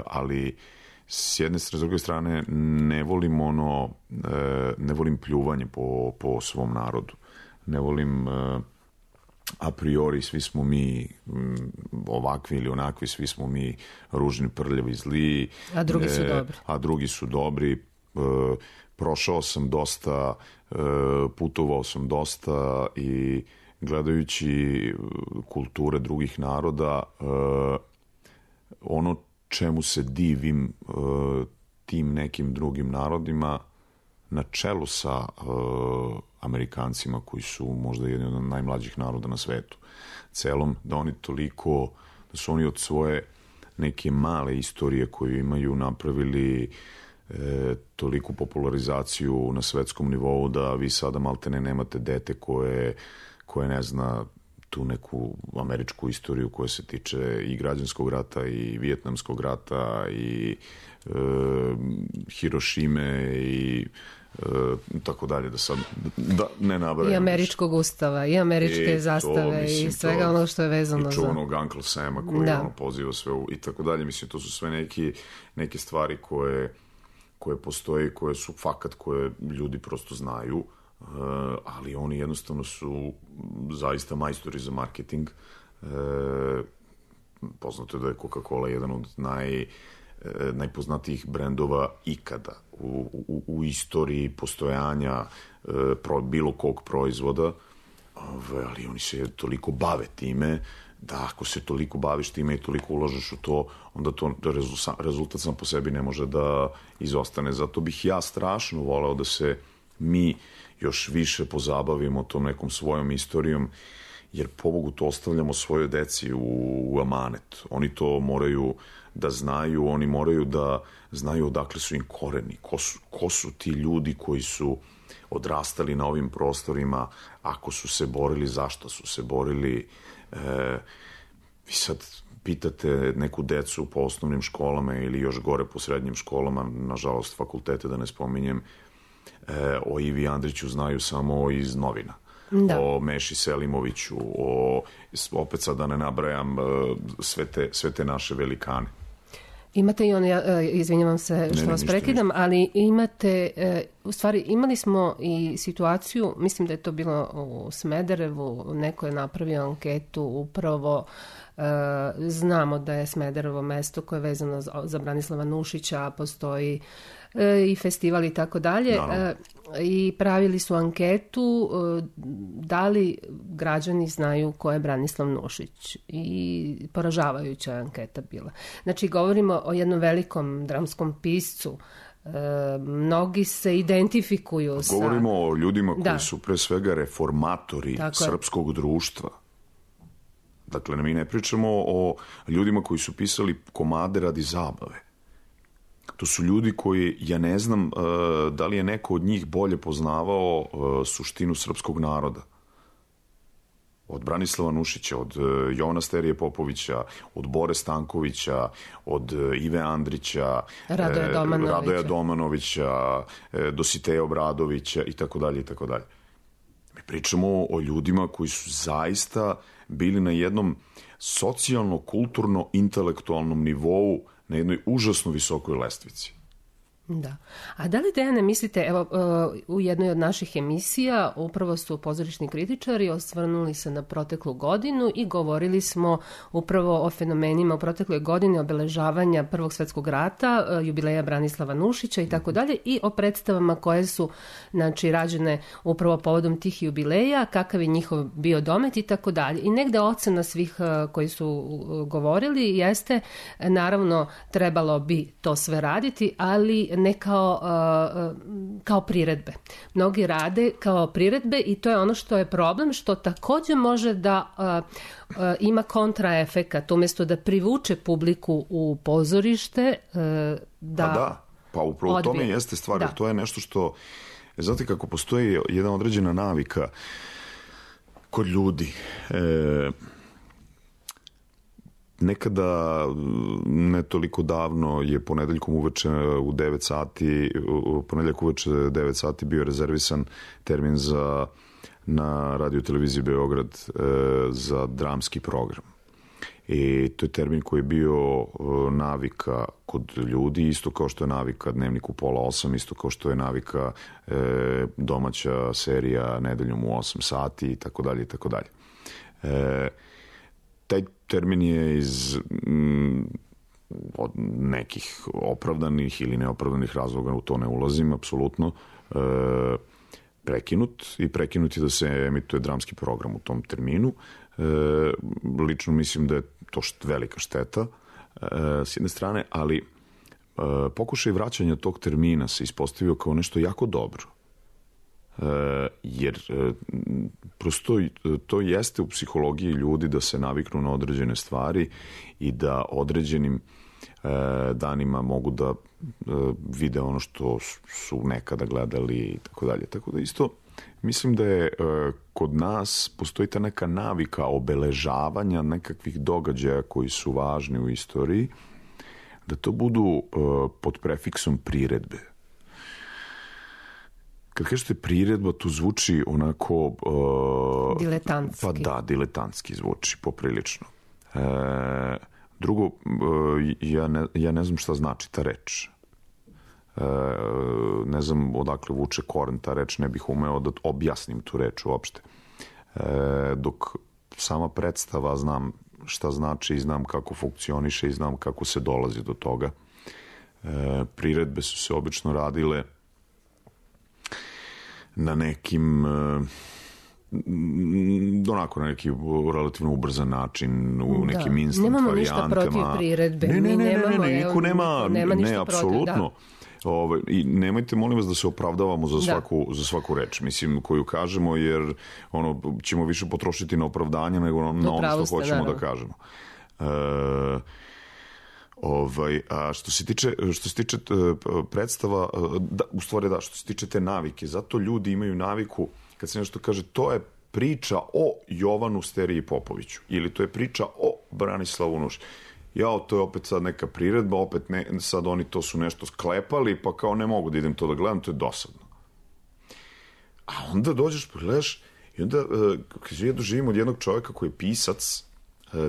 S11: ali s jedne strane, s druge strane ne volim pljuvanje po svom narodu, ne volim a priori svi smo mi ovakvi ili onakvi, svi smo mi ružni, prljavi, zli.
S4: A drugi su dobri.
S11: A drugi su dobri. Prošao sam dosta, putovao sam dosta i gledajući kulture drugih naroda, ono čemu se divim tim nekim drugim narodima, na čelu sa Amerikancima koji su možda jedni od najmlađih naroda na svetu celom, da oni toliko, da su oni od svoje neke male istorije koju imaju napravili toliku popularizaciju na svetskom nivou da vi sada maltene nemate dete koje ne zna tu neku američku istoriju koja se tiče i građanskog rata i vijetnamskog rata i Hirošime i tako dalje, da ne nabrajam.
S4: I američkog ustava, i američke zastave i svega ono što je vezano za...
S11: I čuvanog Uncle Sama koji poziva sve i tako dalje. Mislim, to su sve neke stvari koje postoje, koje su fakat, koje ljudi prosto znaju, ali oni jednostavno su zaista majstori za marketing. Poznato je da je Coca-Cola jedan od najpoznatijih brendova ikada u istoriji postojanja bilo kog proizvoda, ali oni se toliko bave time da ako se toliko baviš time i toliko ulažeš u to, onda to rezultat sam po sebi ne može da izostane. Zato bih ja strašno voleo da se mi još više pozabavimo tom nekom svojom istorijom, jer pobogu to ostavljamo svojoj deci u amanet. Oni to moraju da znaju, oni moraju da znaju odakle su im koreni, ko su ti ljudi koji su odrastali na ovim prostorima, ako su se borili, zašto su se borili. Vi sad pitate neku decu po osnovnim školama ili još gore po srednjim školama, nažalost fakultete da ne spominjem, o Ivi Andriću znaju samo iz novina. Da. O Meši Selimoviću, opet sad da ne nabrajam sve te naše velikane.
S4: Imate i izvinjavam se što vas prekidam, ali imate, u stvari imali smo i situaciju, mislim da je to bilo u Smederevu, neko je napravio anketu upravo, znamo da je Smederevo mesto koje je vezano za Branislava Nušića, postoji i festival i tako dalje, i pravili su anketu da li građani znaju ko je Branislav Nušić, i poražavajuća anketa bila. Znači, govorimo o jednom velikom dramskom piscu, mnogi se identifikuju sa...
S11: Govorimo o ljudima koji su pre svega reformatori srpskog društva. Dakle, mi ne pričamo o ljudima koji su pisali komade radi zabave. To su ljudi koji, ja ne znam da li je neko od njih bolje poznavao suštinu srpskog naroda. Od Branislava Nušića, od Jovana Sterije Popovića, od Bore Stankovića, od Ive Andrića, Radoja Domanovića, Dositeja Obradovića i tako dalje i tako dalje. Mi pričamo o ljudima koji su zaista bili na jednom socijalno-kulturno-intelektualnom nivou, na jednoj užasno visokoj lestvici.
S4: Da. A da li, Dejane, mislite, evo, u jednoj od naših emisija upravo su pozorišni kritičari osvrnuli se na proteklu godinu i govorili smo upravo o fenomenima u protekloj godini obeležavanja Prvog svetskog rata, jubileja Branislava Nušića i tako dalje, i o predstavama koje su, znači, rađene upravo povodom tih jubileja, kakav je njihov bio domet i tako dalje. I negde ocena svih koji su govorili jeste, naravno, trebalo bi to sve raditi, ali ne kao priredbe. Mnogi rade kao priredbe i to je ono što je problem, što također može da ima kontraefekat. Umjesto da privuče publiku u pozorište,
S11: Pa upravo u tome jeste stvar, jer to je nešto što, znate kako postoji jedna određena navika kod ljudi. Nekada, ne toliko davno, je ponedeljkom uveče u 9 sati, ponedeljak uveče 9 sati bio rezervisan termin na radio televiziji Beograd za dramski program. I to je termin koji je bio navika kod ljudi, isto kao što je navika Dnevnik u 7:30, isto kao što je navika domaća serija Nedeljom u 8 sati i tako dalje i tako dalje. Taj termin je iz od nekih opravdanih ili neopravdanih razloga, u to ne ulazim, apsolutno, prekinut je da se emituje dramski program u tom terminu. Lično mislim da je to velika šteta s jedne strane, ali pokušaj vraćanja tog termina se ispostavio kao nešto jako dobro. Jer prosto to jeste u psihologiji ljudi da se naviknu na određene stvari i da određenim danima mogu da vide ono što su nekada gledali i tako dalje. Tako da isto mislim da je kod nas postoji ta neka navika obeležavanja nekakvih događaja koji su važni u istoriji, da to budu pod prefiksom priredbe. Kad kažete priredba, to zvuči onako...
S4: diletantski.
S11: Pa da, diletantski zvuči, poprilično. Drugo, ja ne znam šta znači ta reč. Ne znam odakle vuče koren ta reč, ne bih umeo da objasnim tu reč uopšte. Dok sama predstava znam šta znači i znam kako funkcioniše i znam kako se dolazi do toga. Priredbe su se obično radile na nekim onako na neki relativno ubrzan način, u nekim instant
S4: nemamo
S11: varijantama.
S4: Nemamo ništa protiv priredbe.
S11: Niko nema apsolutno. I nemojte, molim vas, da se opravdavamo za svaku reč, mislim, koju kažemo, jer ćemo više potrošiti na opravdanje nego na ono što hoćemo da kažemo. A što se tiče predstava, u stvari što se tiče te navike, zato ljudi imaju naviku, kad se nešto kaže, to je priča o Jovanu Steriji Popoviću, ili to je priča o Branislavu Nušiću. To je opet sad neka priredba, opet sad oni to su nešto sklepali, pa kao ne mogu da idem to da gledam, to je dosadno. A onda dođeš, pogledaš, i onda ja doživim od jednog čovjeka koji je pisac,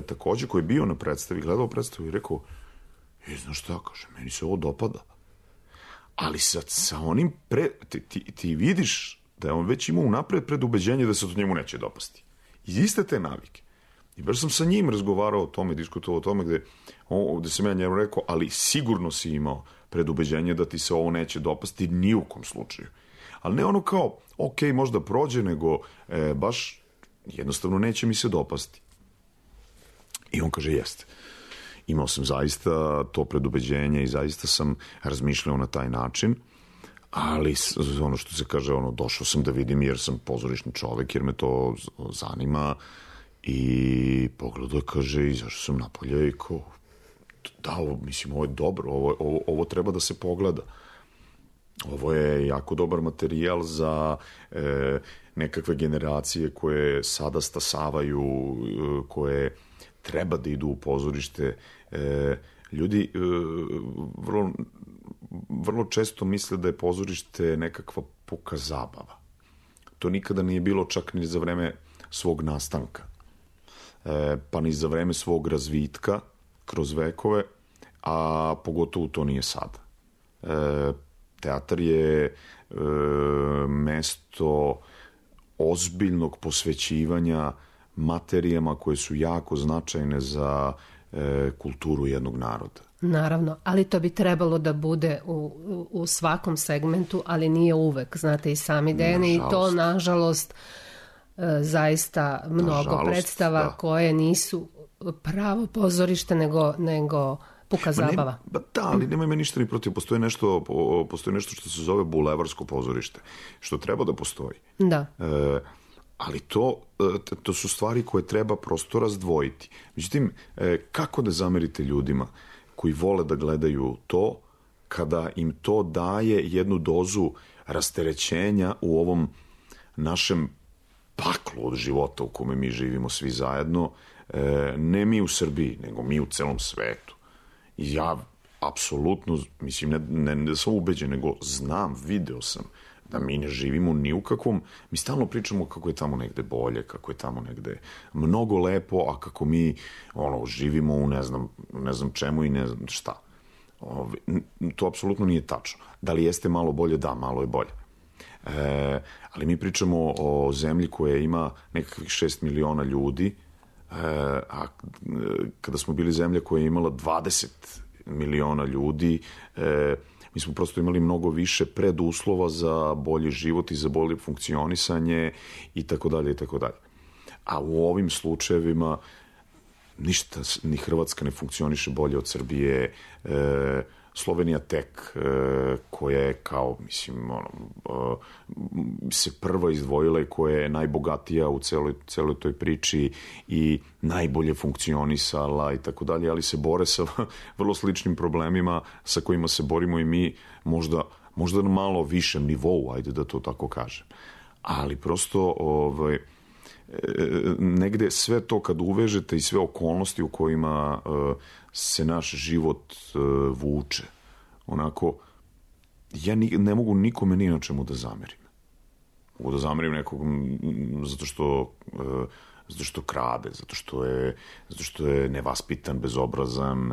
S11: takođe, koji je bio na predstavi, gledao predstavu i rekao, znaš šta, kaže, meni se ovo dopada. Ali sad sa onim, ti vidiš da je on već imao unapred predubeđenje da se to njemu neće dopasti. Iz iste te navike. I baš sam sa njim razgovarao o tome, diskutovao o tome, gde sam ja njemu rekao, ali sigurno si imao predubeđenje da ti se ovo neće dopasti ni u kom slučaju. Ali ne ono kao, ok, možda prođe, nego baš jednostavno neće mi se dopasti. I on kaže, jeste. Imao sam zaista to predubeđenje i zaista sam razmišljao na taj način, ali ono što se kaže, došao sam da vidim jer sam pozorišni čovek, jer me to zanima, i pogledao, kaže, izašao sam napolje i kao, da, mislim, ovo je dobro, ovo treba da se pogleda. Ovo je jako dobar materijal za nekakve generacije koje sada stasavaju, koje treba da idu u pozorište. Ljudi vrlo često misle da je pozorište nekakva puka zabava. To nikada nije bilo čak ni za vreme svog nastanka, pa ni za vreme svog razvitka kroz vekove, a pogotovo to nije sada. Teatar je mesto ozbiljnog posvećivanja materijama koje su jako značajne za kulturu jednog naroda.
S4: Naravno, ali to bi trebalo da bude u svakom segmentu, ali nije uvek, znate i sami, Dejane, i to, nažalost, zaista mnogo predstava koje nisu pravo pozorište, nego puka zabava.
S11: Da, ali nema me ništa ni protiv. Postoji nešto što se zove bulevarsko pozorište, što treba da postoji.
S4: Da.
S11: Ali to su stvari koje treba prosto razdvojiti. Međutim, kako da zamerite ljudima koji vole da gledaju to, kada im to daje jednu dozu rasterećenja u ovom našem paklu od života u kome mi živimo svi zajedno, ne mi u Srbiji, nego mi u celom svetu. I ja apsolutno, mislim, ne da sam ubeđen, nego znam, video sam da mi ne živimo ni u kakvom, mi stalno pričamo kako je tamo negde bolje, kako je tamo negde mnogo lepo, a kako mi živimo u ne znam čemu i ne znam šta. To apsolutno nije tačno. Da li jeste malo bolje? Da, malo je bolje. Ali mi pričamo o zemlji koja ima nekakvih 6 miliona ljudi, a kada smo bili zemlja koja je imala 20 miliona ljudi, mi smo prosto imali mnogo više preduslova za bolji život i za bolje funkcionisanje i tako dalje i tako dalje. A u ovim slučajevima ništa, ni Hrvatska ne funkcioniše bolje od Srbije, Slovenija tek, koja je kao, mislim, se prva izdvojila i koja je najbogatija u celoj toj priči i najbolje funkcionisala i tako dalje, ali se bore sa vrlo sličnim problemima sa kojima se borimo i mi, možda na malo višem nivou, ajde da to tako kažem. Ali prosto negde sve to kad uvežete i sve okolnosti u kojima se naš život vuče, onako, ja ne mogu nikome ni na čemu da zamerim. Mogu da zamerim nekog zato što krade, zato što je nevaspitan, bezobrazan,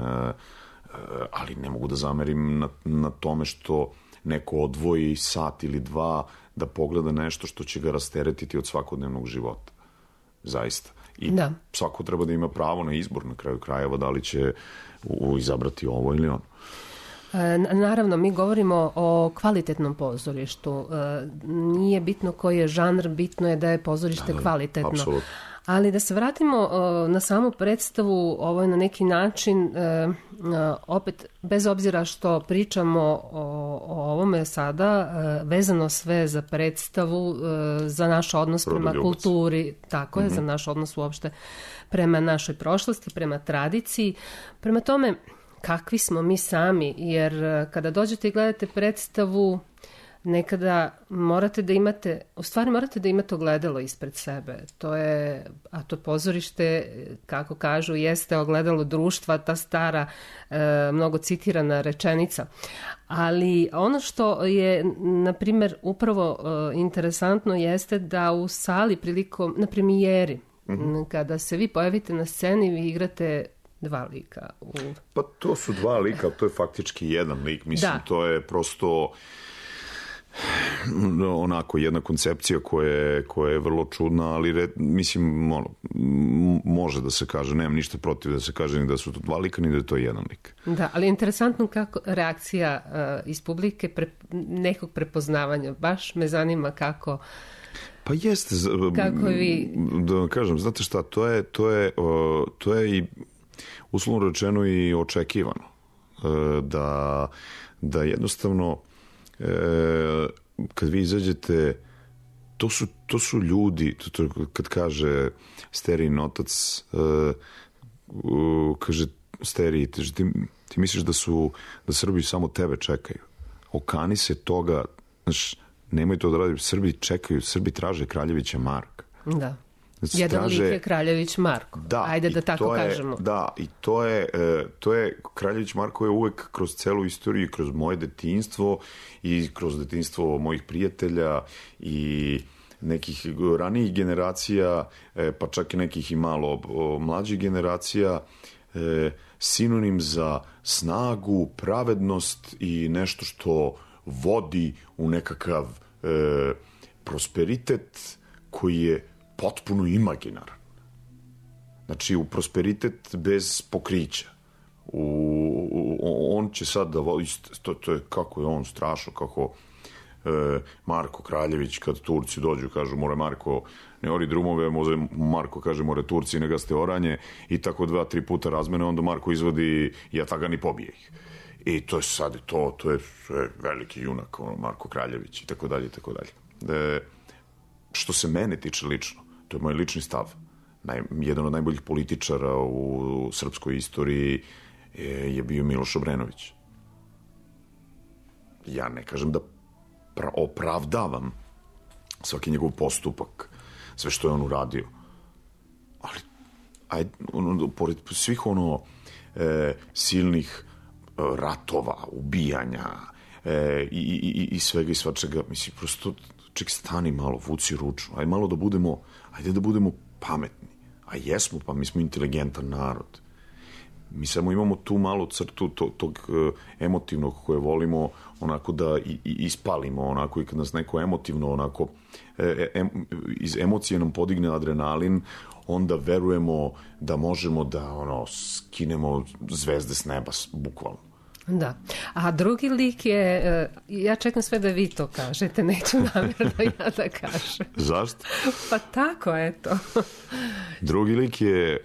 S11: ali ne mogu da zamerim na tome što neko odvoji sat ili dva da pogleda nešto što će ga rasteretiti od svakodnevnog života. Zaista. I svako treba da ima pravo na izbor na kraju krajeva, da li će izabrati ovo ili ono.
S4: Naravno, mi govorimo o kvalitetnom pozorištu. Nije bitno koji je žanr, bitno je da je pozorište kvalitetno.
S11: Apsolutno.
S4: Ali da se vratimo na samu predstavu, ovo je na neki način, opet, bez obzira što pričamo o ovome sada, vezano sve za predstavu, za naš odnos prema kulturi, tako je, za naš odnos uopšte prema našoj prošlosti, prema tradiciji. Prema tome, kakvi smo mi sami, jer kada dođete i gledate predstavu, nekada morate da imate ogledalo ispred sebe. A to pozorište, kako kažu, jeste ogledalo društva, ta stara, mnogo citirana rečenica. Ali ono što je, na primjer, upravo interesantno jeste da u sali na premijeri, kada se vi pojavite na sceni, vi igrate dva lika.
S11: Pa to su dva lika, to je faktički jedan lik. Mislim, to je prosto onako jedna koncepcija koja je vrlo čudna, ali mislim, može da se kaže, nemam ništa protiv da se kaže ni da su to dva lika, ni da je to jedan lik.
S4: Da, ali interesantno kako reakcija iz publike nekog prepoznavanja. Baš me zanima kako...
S11: Pa jeste,
S4: kako vi...
S11: Da vam kažem, znate šta, to je i uslovno rečeno i očekivano. Da jednostavno kad vi izađete, to su ljudi, kad kaže Sterijin otac, kaže Steriji, ti misliš da Srbi samo tebe čekaju. Okani se toga, znaš, nemoj to da radi, Srbi čekaju, Srbi traže Kraljevića Marka.
S4: Da. Jedan lik je Kraljević Marko. Ajde da tako kažemo.
S11: Da, i to je Kraljević Marko je uvek kroz celu istoriju, kroz moje detinjstvo i kroz detinjstvo mojih prijatelja i nekih ranijih generacija, pa čak i nekih i malo mlađih generacija, sinonim za snagu, pravednost i nešto što vodi u nekakav prosperitet koji je potpuno imaginaran. Znači, u prosperitet bez pokrića. On će sad da voli, to je kako je on strašno, kako Marko Kraljević, kad Turci dođu, kažu, more Marko ne ori drumove, Marko kaže, more Turci ne gaste oranje, i tako 2-3 puta razmene, onda Marko izvodi jatagan i pobije ih. I to je sad, to je veliki junak, Marko Kraljević, i tako dalje, i tako dalje. Što se mene tiče lično, to je moj lični stav. Jedan od najboljih političara u srpskoj istoriji je bio Miloš Obrenović. Ja ne kažem da opravdavam svaki njegov postupak, sve što je on uradio. Ali, pored svih silnih ratova, ubijanja i svega i svačega, mislim, prosto ček, stani malo, vuci ručnu, ajde da budemo pametni. A jesmo, pa mi smo inteligentan narod. Mi samo imamo tu malu crtu tog emotivnog koje volimo onako da ispalimo onako i kad nas neko emotivno onako iz emocije nam podigne adrenalin, onda verujemo da možemo da skinemo zvezde s neba, bukvalno.
S4: Da. A drugi lik je, ja čekam sve da vi to kažete, neću namjerno ja da kažem.
S11: Zašto?
S4: Pa tako, eto.
S11: Drugi lik je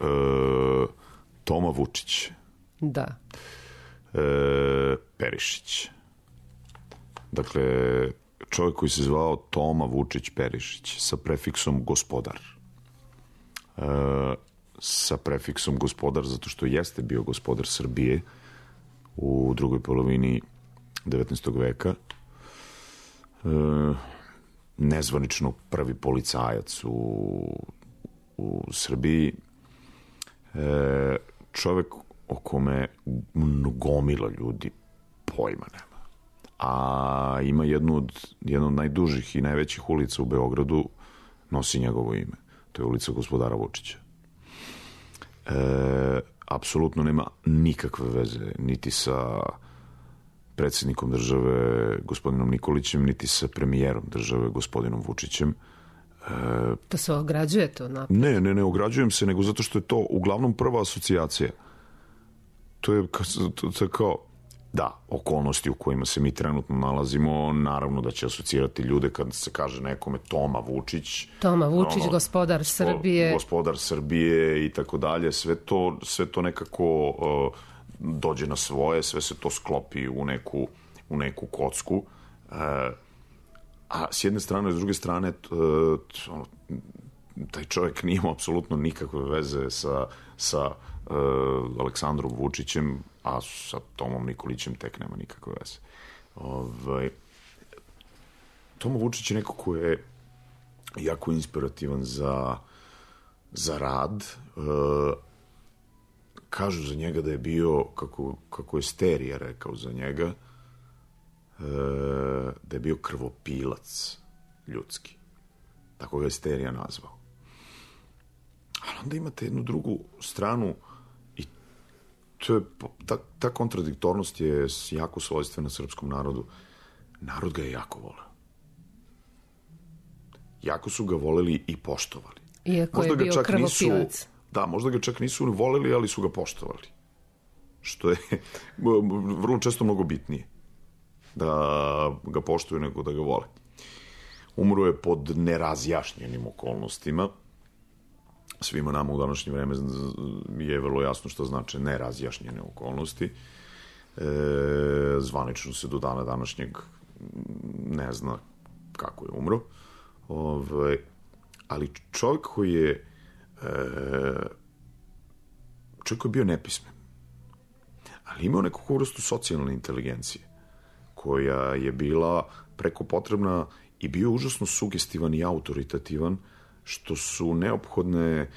S11: Toma Vučić.
S4: Da.
S11: Perišić. Dakle, čovjek koji se zvao Toma Vučić Perišić sa prefiksom gospodar. Sa prefiksom gospodar zato što jeste bio gospodar Srbije u drugoj polovini 19. veka. Nezvanično prvi policajac u Srbiji. Čovjek o kome gomila ljudi pojma nema. A ima jednu od najdužih i najvećih ulica u Beogradu, nosi njegovo ime. To je ulica gospodara Vučića. Apsolutno nema nikakve veze niti sa predsjednikom države gospodinom Nikolićem, niti sa premijerom države gospodinom Vučićem.
S4: To se ograđuje to napred?
S11: Ne ograđujem se, nego zato što je to uglavnom prva asocijacija. To je kao, da, okolnosti u kojima se mi trenutno nalazimo, naravno da će asocirati ljude kad se kaže nekome Toma Vučić.
S4: Toma Vučić, gospodar Srbije.
S11: Gospodar Srbije i tako dalje. Sve to nekako dođe na svoje, sve se to sklopi u neku kocku. A s jedne strane, s druge strane, taj čovjek nije imao apsolutno nikakve veze sa Aleksandrom Vučićem, a sa Tomom Nikolićem tek nema nikakve veze. Toma Vučić je neko ko je jako inspirativan za rad. Kažu za njega da je bio, kako je Sterija rekao za njega, da je bio krvopilac ljudski. Tako ga je Sterija nazvao. Ali onda imate jednu drugu stranu i ta kontradiktornost je jako svojstvena srpskom narodu. Narod ga je jako voleo. Jako su ga voleli i poštovali.
S4: Iako je bio krvopilac.
S11: Da, možda ga čak nisu voleli, ali su ga poštovali. Što je vrlo često mnogo bitnije. Da ga poštuju nego da ga vole. Umro je pod nerazjašnjenim okolnostima. Svima nama u današnje vreme je vrlo jasno što znači nerazjašnjene okolnosti. Zvanično se do dana današnjeg ne zna kako je umro. Ali čovjek koji je bio nepismen, ali imao neku vrstu socijalne inteligencije koja je bila preko potrebna i bio užasno sugestivan i autoritativan, što su neophodne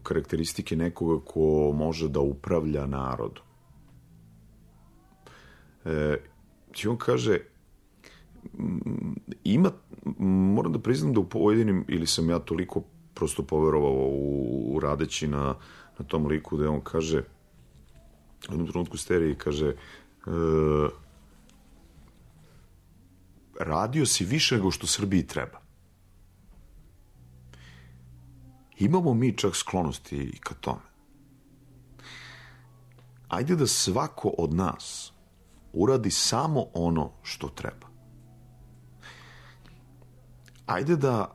S11: karakteristike nekoga ko može da upravlja narodom. I on kaže, moram da priznam da u pojedinim, ili sam ja toliko prosto poverovao u radeći na tom liku, da on kaže, u jednom trenutku Steriji kaže, radio si više nego što Srbiji treba. Imamo mi čak sklonosti i ka tome. Ajde da svako od nas uradi samo ono što treba. Ajde da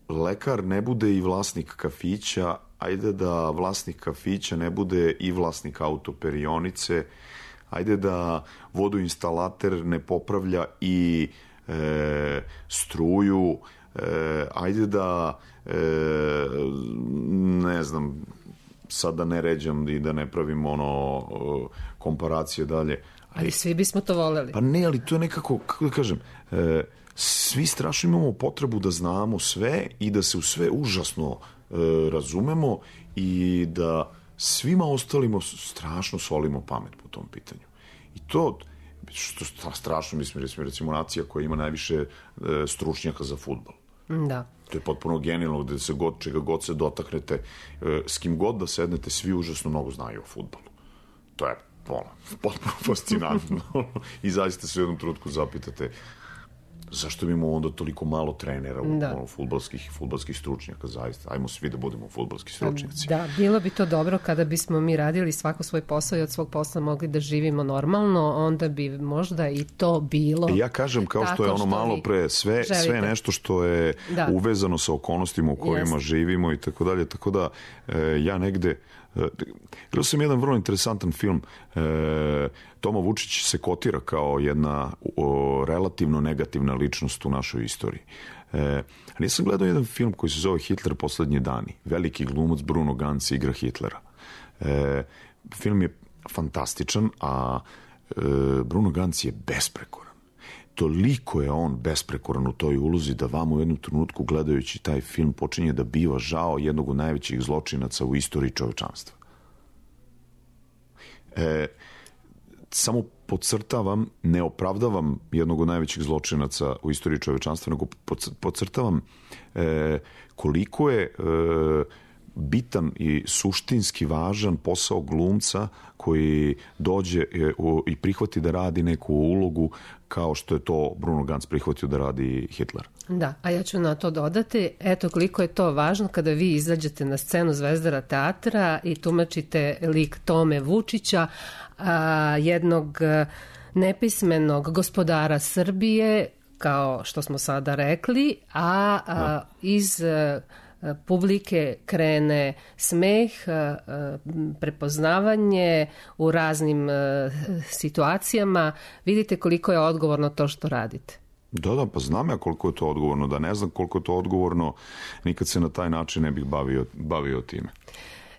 S11: lekar ne bude i vlasnik kafića, ajde da vlasnik kafića ne bude i vlasnik autoperionice, ajde da vodoinstalater ne popravlja i struju, ajde da ne znam, sad da ne ređam i da ne pravim komparacije dalje.
S4: Ali svi bismo to voleli.
S11: Pa ne, ali to je nekako, kako da kažem, svi strašno imamo potrebu da znamo sve i da se u sve užasno razumemo i da svima ostalima strašno solimo pamet po tom pitanju. I to, što strašno, mislim, recimo nacija koja ima najviše stručnjaka za fudbal.
S4: Da.
S11: To je potpuno genijalno, gde se čega god se dotaknete, s kim god da sednete, svi užasno mnogo znaju o fudbalu. To je potpuno fascinantno. I zaista se u jednom trenutku zapitate zašto imamo onda toliko malo trenera fudbalskih stručnjaka, zaista. Ajmo svi da budemo fudbalski stručnjaci.
S4: Da, bilo bi to dobro kada bismo mi radili svako svoj posao i od svog posla mogli da živimo normalno, onda bi možda i to bilo.
S11: Ja kažem, kao što je ono malo pre, sve nešto što je uvezano sa okolnostima u kojima živimo i tako dalje, tako da ja negde gledao sam jedan vrlo interesantan film. Toma Vučić se kotira kao jedna relativno negativna ličnost u našoj istoriji. Ja sam gledao jedan film koji se zove Hitler poslednji dani. Veliki glumac Bruno Ganz igra Hitlera. Film je fantastičan, a Bruno Ganz je besprekoran. Toliko je on besprekoran u toj ulozi da vam u jednom trenutku gledajući taj film počinje da biva žao jednog od najvećih zločinaca u istoriji čovečanstva. Samo podcrtavam, ne opravdavam jednog od najvećih zločinaca u istoriji čovečanstva, nego podcrtavam koliko je bitan i suštinski važan posao glumca koji dođe i prihvati da radi neku ulogu kao što je to Bruno Ganz prihvatio da radi Hitler.
S4: Da, a ja ću na to dodati, eto koliko je to važno kada vi izađete na scenu Zvezdara teatra i tumačite lik Tome Vučića, jednog nepismenog gospodara Srbije, kao što smo sada rekli, iz publike krene smeh, prepoznavanje u raznim situacijama. Vidite koliko je odgovorno to što radite.
S11: Da, pa znam ja koliko je to odgovorno. Da ne znam koliko je to odgovorno, nikad se na taj način ne bih bavio time.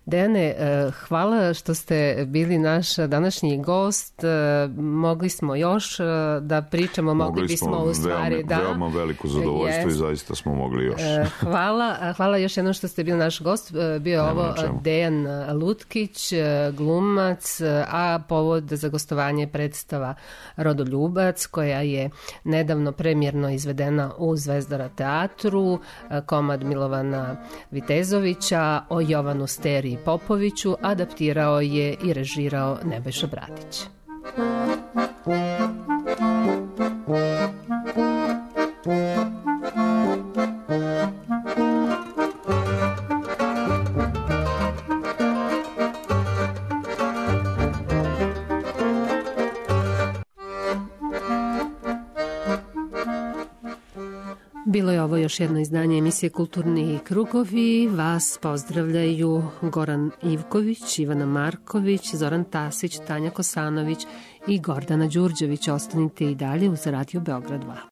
S4: Dejane, hvala što ste bili naš današnji gost. Mogli smo još da pričamo, mogli bismo u stvari
S11: veoma veliko zadovoljstvo i zaista smo mogli još.
S4: Hvala još jednom što ste bili naš gost. Bio je ovo Dejan Lutkić, glumac, a povod za gostovanje predstava Rodoljubac, koja je nedavno premijerno izvedena u Zvezdara teatru, komad Milovana Vitezovića o Jovanu Steri Popoviću, adaptirao je i režirao Nebojša Bratić. Bilo je ovo još jedno izdanje emisije Kulturni krugovi. Vas pozdravljaju Goran Ivković, Ivana Marković, Zoran Tasić, Tanja Kosanović i Gordana Đurđević. Ostanite i dalje uz Radio Beograd 2.